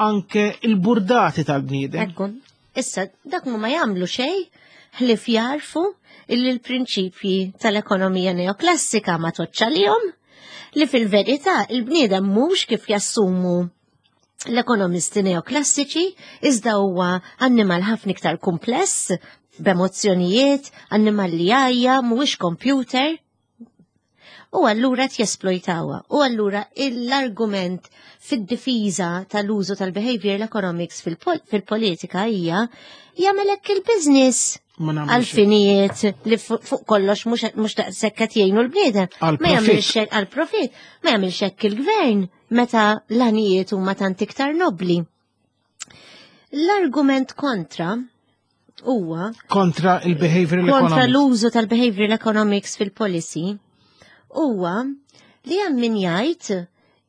anke il-burdati tal-bniedem. Ekku, issa dak ma jagħmlu xejn ħlief jarfu illi l-prinċipji tal-ekonomija neoklassika ma toċċalihom li fil-verità il-bniedem mhux kif jassumu l-ekonomisti neoklassiċi iżda huwa annimal ħafna iktar kumpless b'emozzjonijiet, annimal li jgħajja, mhuwiex computer. U allura jesplojtawha. U allura l-argument fid-difiża tal-użu tal-behavioral economics fil-politika hija jagħmel hekk il-business għal-finijiet li fuq kollox mhux daqshekk qed jgħinu l-bniedem. Ma jagħmilx għall-profit, ma jagħmilx hekk il-gvern meta l-għanijiet huma tant iktar nobli. L-argument kontra huwa kontra il-behavioral kontra l-użu tal-behavioral economics fil-policy huwa li hemm min jgħid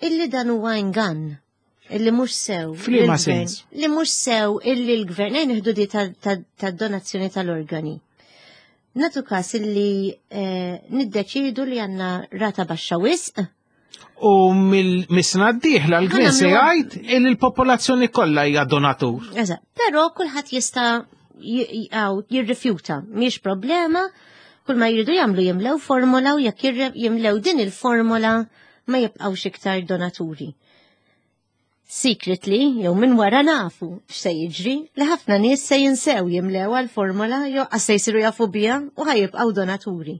illi dan huwa ingann illi mhux sew. F'liema sens? Li mhux sew illi l-gvern ejn nieħdu di tad-donazzjoni tal-organi. Natu każ illi eh, niddeċidu li għandna rata baxxa wisq. U mill-sena d-dieħla l-gvern se jgħid illi l-popolazzjoni kollha hija donatur. Eżatt, però kulħadd jista' jirrifjuta, mhix problema, kull ma jridu jagħmlu jimlew formola u jekk jimlew din il-formola. ma jibqgħux iktar donaturi. Secretly, jew minn wara nafu x'se jiġri, li ħafna nies se jinsew jimlew għal-formola jew qas se jsiru jafu biha u ħajibqgħu donaturi.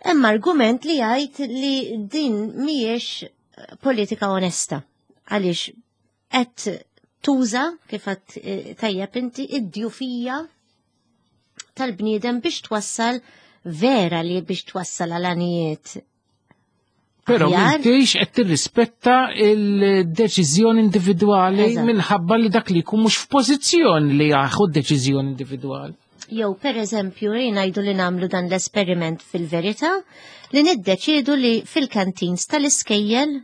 Hemm argument li jgħid li din mhijiex politika onesta għaliex qed tuża kif qed eh, tajjeb inti id-djufija tal-bniedem biex twassal vera li biex twassal għal anijiet. Pero m'intix qed tirrispetta il-deċiżjoni individwali minħabba li dak li jkun mhux f'pożizzjoni li jaħu deċiżjoni individwali. Jew per eżempju, ngħidu li nagħmlu dan l-esperiment fil-verità li niddeċiedu li fil-kantins tal-iskejjel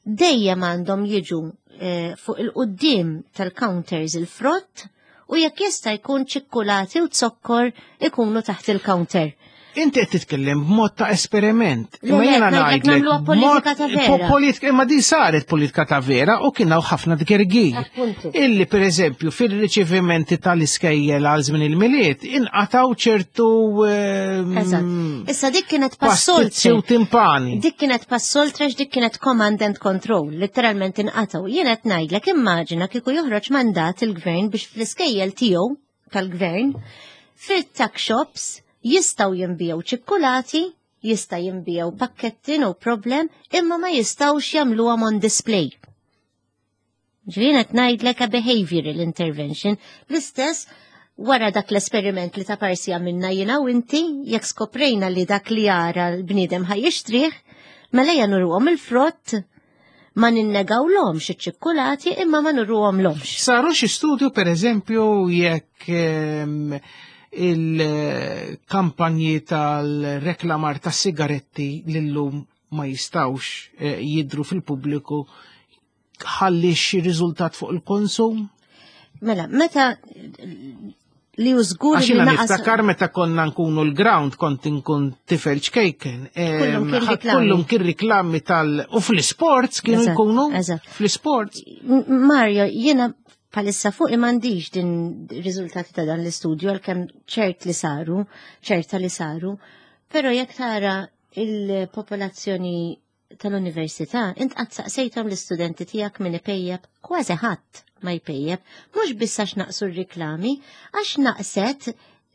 dejjem għandhom jiġu eh, fuq il-qudiem tal-counters il-frott u jekk jista' jkun ċikkulati u zokkor ikunu taħt il-counter. Inti qed titkellem b'mod ta' esperiment. Imma jiena ngħidlek nagħmluha politika ta' vera. Politika imma din saret politika ta' vera u kien hawn ħafna tgergir. Illi pereżempju fil-riċevimenti tal-iskejjel għal żmien il-Milied inqataw ċertu ehm, Issa dik kienet passoltre. U timpani. Dik kienet passoltre dik kienet command and control, letteralment inqataw. Jien qed ngħidlek immaġina kieku joħroġ mandat il-gvern biex fl-iskejjel tiegħu tal-gvern fil-tuck shops jistgħu jinbiegħu ċikkulati, jista' jinbiegħu pakketti no problem, imma ma jistgħux jagħmluhom on display. Ġifieri qed ngħidlek a behavioral intervention. L-istess wara dak l-esperiment li ta' parsi għamilna jiena u inti, jekk skoprejna li dak li jara l-bniedem ħa jixtrih, mela ejja nuruhom il-frott, ma ninnegawlhomx iċ-ċikkulati imma ma nuruhomlhomx. Saru xi studju pereżempju jekk ehm, il-kampanji tal-reklamar tas sigaretti lillum ma jistawx eh, jidru fil-pubbliku ħalli xi riżultat fuq il-konsum? Mela, meta li u żgur li niftakar meta konna nkunu l-ground kont inkun tifel ċkejken. Kullum kien riklami tal u fl-sports kienu jkunu fl-sports. Mario, jiena palissa fuq m'għandix din riżultati ta' dan l-istudju għalkemm ċert li saru, ċerta li saru, però jekk tara il-popolazzjoni tal-università, int qatt saqsejthom l-istudenti tiegħek min ipejjep? Kważi ħadd ma jpejjep, mhux biss għax naqsu r-riklami, għax naqset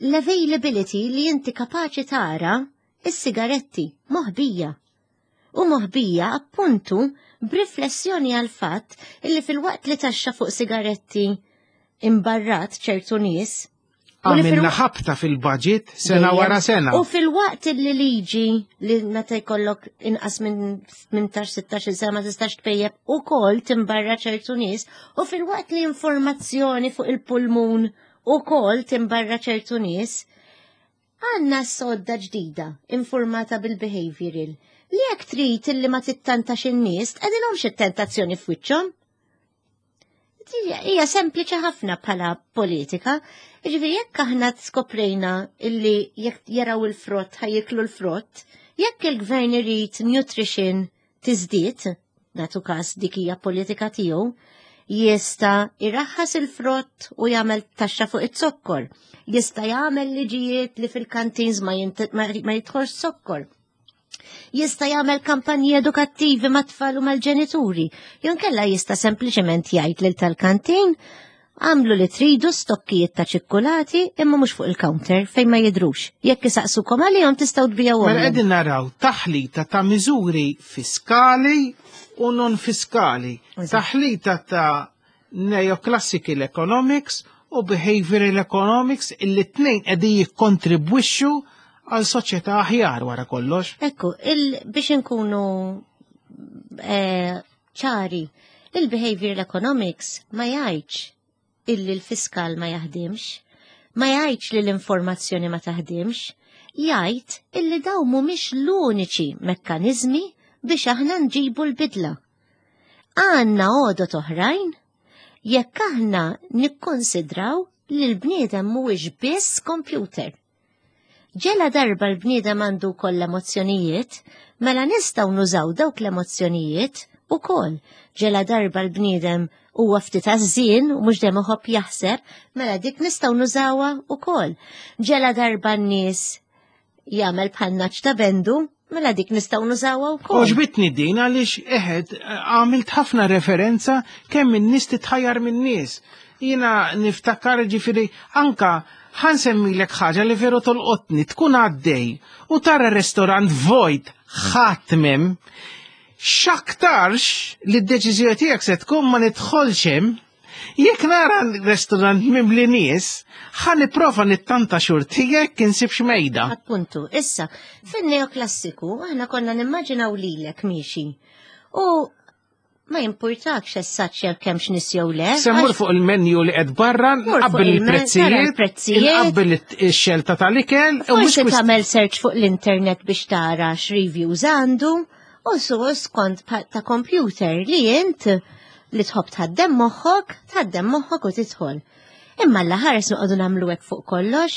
l-availability li inti kapaċi tara is-sigaretti moħbija. U moħbija appuntu b'riflessjoni għal fatt illi fil-waqt li taxxa fuq sigaretti imbarrat ċertu nies, Għamilna ħabta fil-budget sena wara sena. U fil-waqt li liġi li meta jkollok inqas minn 18-16 sena ma tistax tpejjeb ukoll timbarra ċertu nies, u fil-waqt li informazzjoni fuq il-pulmun ukoll timbarra ċertu nies, għandna sodda ġdida informata bil-behavioral li jekk trid illi ma tittantax in-nies tqegħdilhomx it-tentazzjoni f'wiċċhom. Hija sempliċi ħafna bħala politika. Ġifieri jekk aħna skoprejna illi jekk jaraw il-frott ħajjiklu l-frott, jekk il-gvern irid nutrition tiżdied, nagħtu każ dik hija politika tiegħu, jista' iraħħas il-frott u jagħmel taxxa fuq iz-zokkor. Jista' jagħmel liġijiet li fil-kantins ma jidħolx zokkor. Jista' jagħmel kampanji edukattivi mat-tfal u mal-ġenituri. Jew inkella jista' sempliċement jgħid lil tal-kantin għamlu li tridu stokkijiet ta' ċikkulati imma mhux fuq il-counter fejn ma jidrux. Jekk isaqsukom għalihom tistgħu tbijgħuhom. Mela qegħdin naraw taħlita ta' miżuri fiskali u non fiskali. Taħlita ta' neoclassical economics u behavioral economics illi t-tnejn qegħdin jikkontribwixxu għal soċjetà aħjar wara kollox. Ekku, biex inkunu eh, ċari, il-behavioral economics ma jgħidx illi l-fiskal ma jaħdimx, ma jgħidx li l-informazzjoni ma taħdimx, jgħid illi daw mhumiex l-uniċi mekkaniżmi biex aħna nġibu l-bidla. Għandna għodot oħrajn jekk aħna nikkonsidraw li l-bniedem mhuwiex biss computer. Ġela darba l-bniedem għandu wkoll l-emozzjonijiet, mela nistgħu nużaw dawk l-emozzjonijiet ukoll. Ġela darba l-bniedem huwa ftit għażżien u mhux dejjem iħobb jaħseb, mela dik nistgħu nużawha ukoll. Ġela darba n-nies jagħmel bħal naċ ta' bendu, Mela dik nistgħu nużawha wkoll. Oġbitni din għaliex eħed għamilt ħafna referenza kemm in-nies titħajjar min-nies. Jiena niftakar ġifieri anka ħansemmilek ħaġa li veru tolqotni tkun għaddej u tara restorant vojt ħadd m'hemm. X'aktarx li d-deċiżjoni tiegħek se tkun ma nidħolx hemm. Jekk nara restorant mimli nies, ħa nipprova nittanta xorti jekk insibx mejda. Appuntu, issa, fin-neoklassiku aħna konna nimmaġinaw lilek miexi. U ma jimpurtakx essaċ jekk hemmx nies jew le. Se mmur fuq il-menu li qed barra, nqabbel il-prezzijiet, nqabbel ix-xelta tal-ikel. Forsi tagħmel search fuq l-internet biex tara x'reviews għandu u su skont ta' computer li int li tħobb tħaddem moħħok, tħaddem moħħok u tidħol. Imma alla ħares noqogħdu nagħmlu hekk fuq kollox,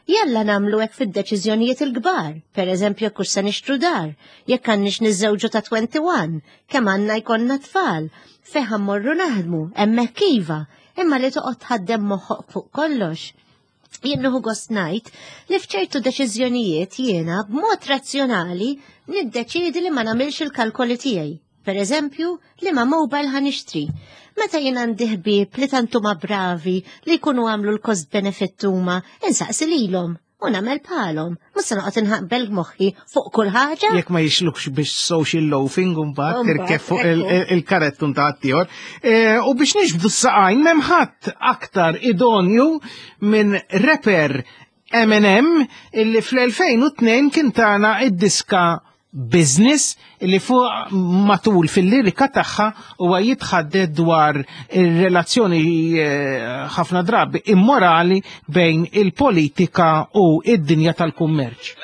jalla nagħmlu hekk fid-deċiżjonijiet il-kbar, per eżempju jekk hux se nixtru dar, jekk għandniex niżżewġu ta' 21, kemm għandna jkollna tfal, fejn ħa mmorru naħdmu, hemmhekk iva, imma li toqgħod tħaddem moħħok fuq kollox. Jien nieħu gost ngħid li f'ċertu deċiżjonijiet jiena b'mod razzjonali niddeċiedi li ma nagħmilx il-kalkoli tiegħi. Per eżempju, li ma mobile ħa nixtri. Meta jien għandi ħbieb li tant huma bravi li jkunu għamlu l-cost benefit huma, insaqsi lilhom u nagħmel bħalhom. Mhux se noqgħod inħaqbel moħħi fuq kull ħaġa. Jekk ma jixlukx biex social loafing mbagħad tirkeb fuq il-karettun ta' ħaddieħor. U biex nixbdu s-saqajn m'hemm ħadd aktar idonju minn rapper Eminem illi fl-2002 kien tana id-diska Business li fuq matul fil-lirika tagħha huwa jitħadded dwar ir-relazzjoni ħafna drabi immorali bejn il-politika u id-dinja tal-kummerċ.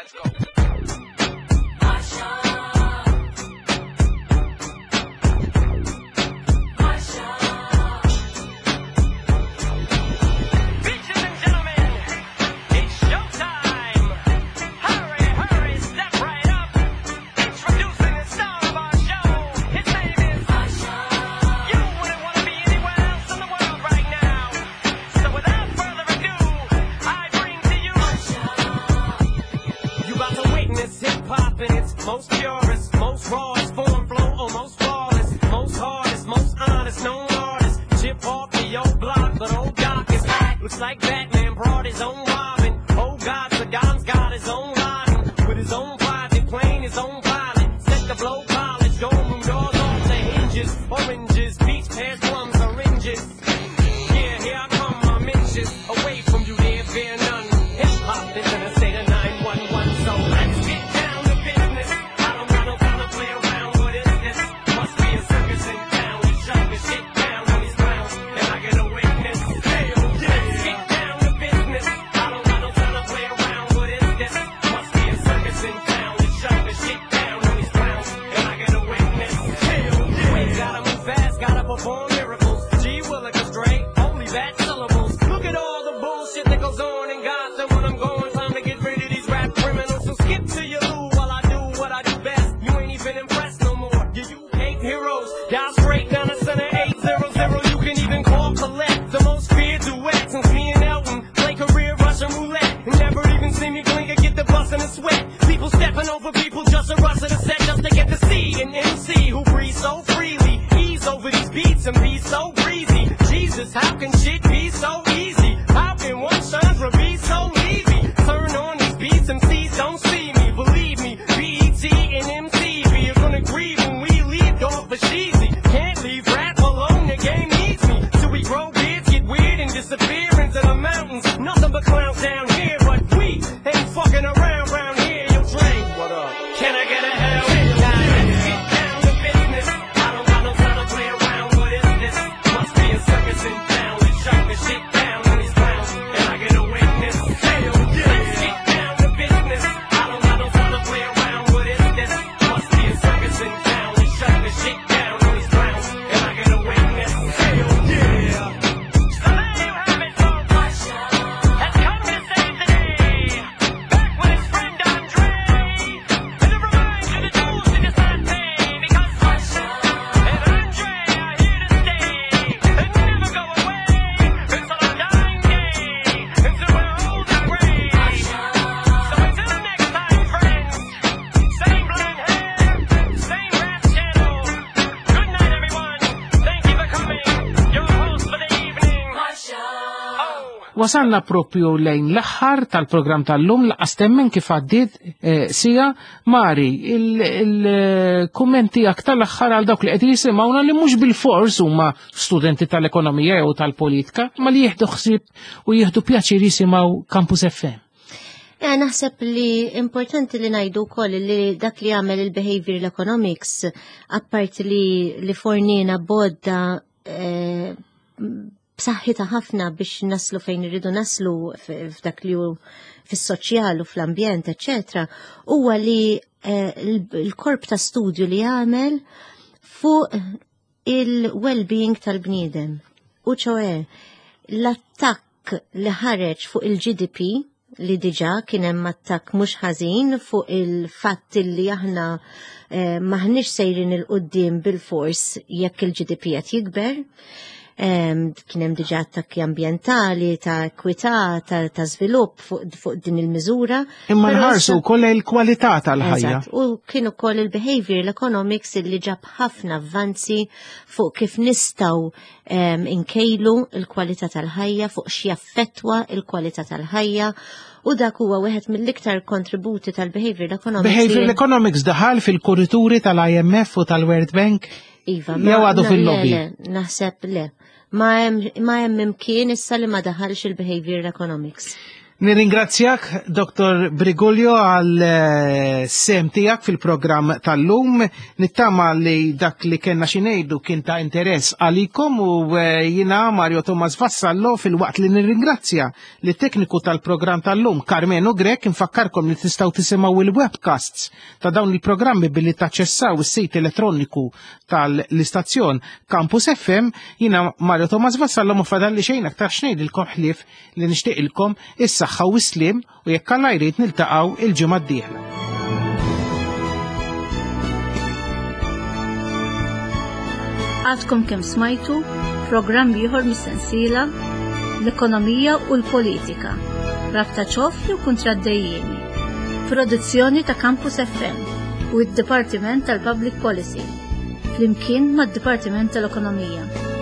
Most purest, most rawest form, flow, almost flawless, most hardest, most honest, known artist. Chip off the old block, but old Doc is back. Looks like Batman brought his own Robin. Oh God, Saddam's got his own Laden with his own private plane, his own pilot. Set the blow college, dorm room doors off the hinges, oranges, peach pears, plums, oranges. Yeah, here I come, I'm inches away from you, dear, fear none. Hip hop is in a state of 911, so let's get down to business. I don't got no time to play around. What is this? Must be a circus in town. We shut the shit down on these clowns, and I get a witness. Hell yeah. Let's get down to business. I don't got no time to play around. What is this? Must be a circus in town. We shut the shit down on these clowns, and I get a witness. Hell yeah. Wait, gotta move fast, gotta perform miracles. G Willikers straight, only bad syllables. Look at all the bullshit that goes on in Gotham when I'm gone. Time to get rid of these rap criminals. So skip to your loo while I do what I do best. You ain't even impressed no more. Yeah, you hate heroes. Dial straight down the center 800. You can even call collect the most feared duet since me and Elton play career Russian roulette. And never even see me blink or get the bus in a sweat. People stepping over people just to rush to the set just to get to see an MC who breathes so freely. Ease over these beats and be so breezy. Jesus, how can shit be so easy? How can one genre be so easy? Turn on these beats, MCs don't see me. Believe me, BET and MTV are gonna grieve when we leave dog for cheesy. Can't leave rap alone, the game needs me. Till we grow beards, get weird and disappear into the mountains. Nothing but clowns down here, but we ain't fucking around round here. Yo, Dre, what up? Can I get a hell? Nah, let's get down to business. I don't got no time to play around. What is this? Must be a circus in town. Let's shut the shit down on these clowns, and I get a witness. Hell yeah. Let's get down to business. I don't got no time to play around. What is this? Must be a circus in town. Wasalna propju lejn l-aħħar tal-programm tal-lum laqas temmen kif għaddiet eh, sija Mari, il-kummenti tiegħek tal-aħħar għal dawk li qed jisimgħuna li mhux bil-fors huma studenti tal-ekonomija jew tal-politika, ma li jieħdu ħsieb u jieħdu pjaċir jisimgħu Campus FM. Eh, naħseb li importanti li najdu wkoll li dak li għamel il-behavioral economics apparti li, li fornina bodda eh, b'saħħitha ħafna biex naslu fejn irridu naslu f'dak li hu fis-soċjal u fl-ambjent, eċetera, huwa li eh, l-korp ta' studju li għamel fuq il-well-being tal-bniedem. U ċoe, l-attakk li ħareġ fuq il-GDP li diġa kien hemm attakk mhux ħażin fuq il-fatt li aħna eh, maħniex sejrin il-qudiem bil-fors jekk il-GDP qed jikber. Kien hemm diġà attakki ambjentali, ta' ekwità, ta', ta żvilupp fuq fu din il-miżura. Imma nħarsu wkoll il-kwalità tal-ħajja. U kien ukoll il-behavioral economics li ġab ħafna avvanzi fuq kif nistgħu inkejlu il-kwalità tal-ħajja, fuq x'jaffettwa il-kwalità tal-ħajja u dak huwa wieħed mill-iktar kontributi tal-behavioral economics. Behavioral economics daħal fil-kurituri tal-IMF u tal-World Bank? Iva, jew għadu fil-lobby. Naħseb le. Ma hemm imkien issa li ma daħalx il-behavioral economics. Nirringrazzjak, Dr. Briguglio, għal eh, sem tijak fil-program tal-lum. Nittama li dak li kena xinejdu kien ta' interess għalikom u eh, jina Mario Thomas Vassallo fil-waqt li nirringrazzja li tekniku tal-program tal-lum Carmeno Grek nfakkarkom li tistaw tisimaw il-webcasts ta' dawn il-programmi billi taċċessaw is-sit elettroniku tal-istazzjon Campus FM. Jina Mario Thomas Vassallo ma fadalli xejn aktar xnejdilkom ħlief li nixtieqilkom is-saħħa u s-sliem u jekk Alla jrid niltaqgħu il-ġimgħa d-dieħla. Għadkom kemm smajtu programm ieħor mis-sensiela L-Ekonomija u l-Politika, rabta ċoff jew kuntratt dejjiemi. Produzzjoni ta' Campus FM u d-Dipartiment tal-Public Policy, flimkien mad-Dipartiment tal-Ekonomija.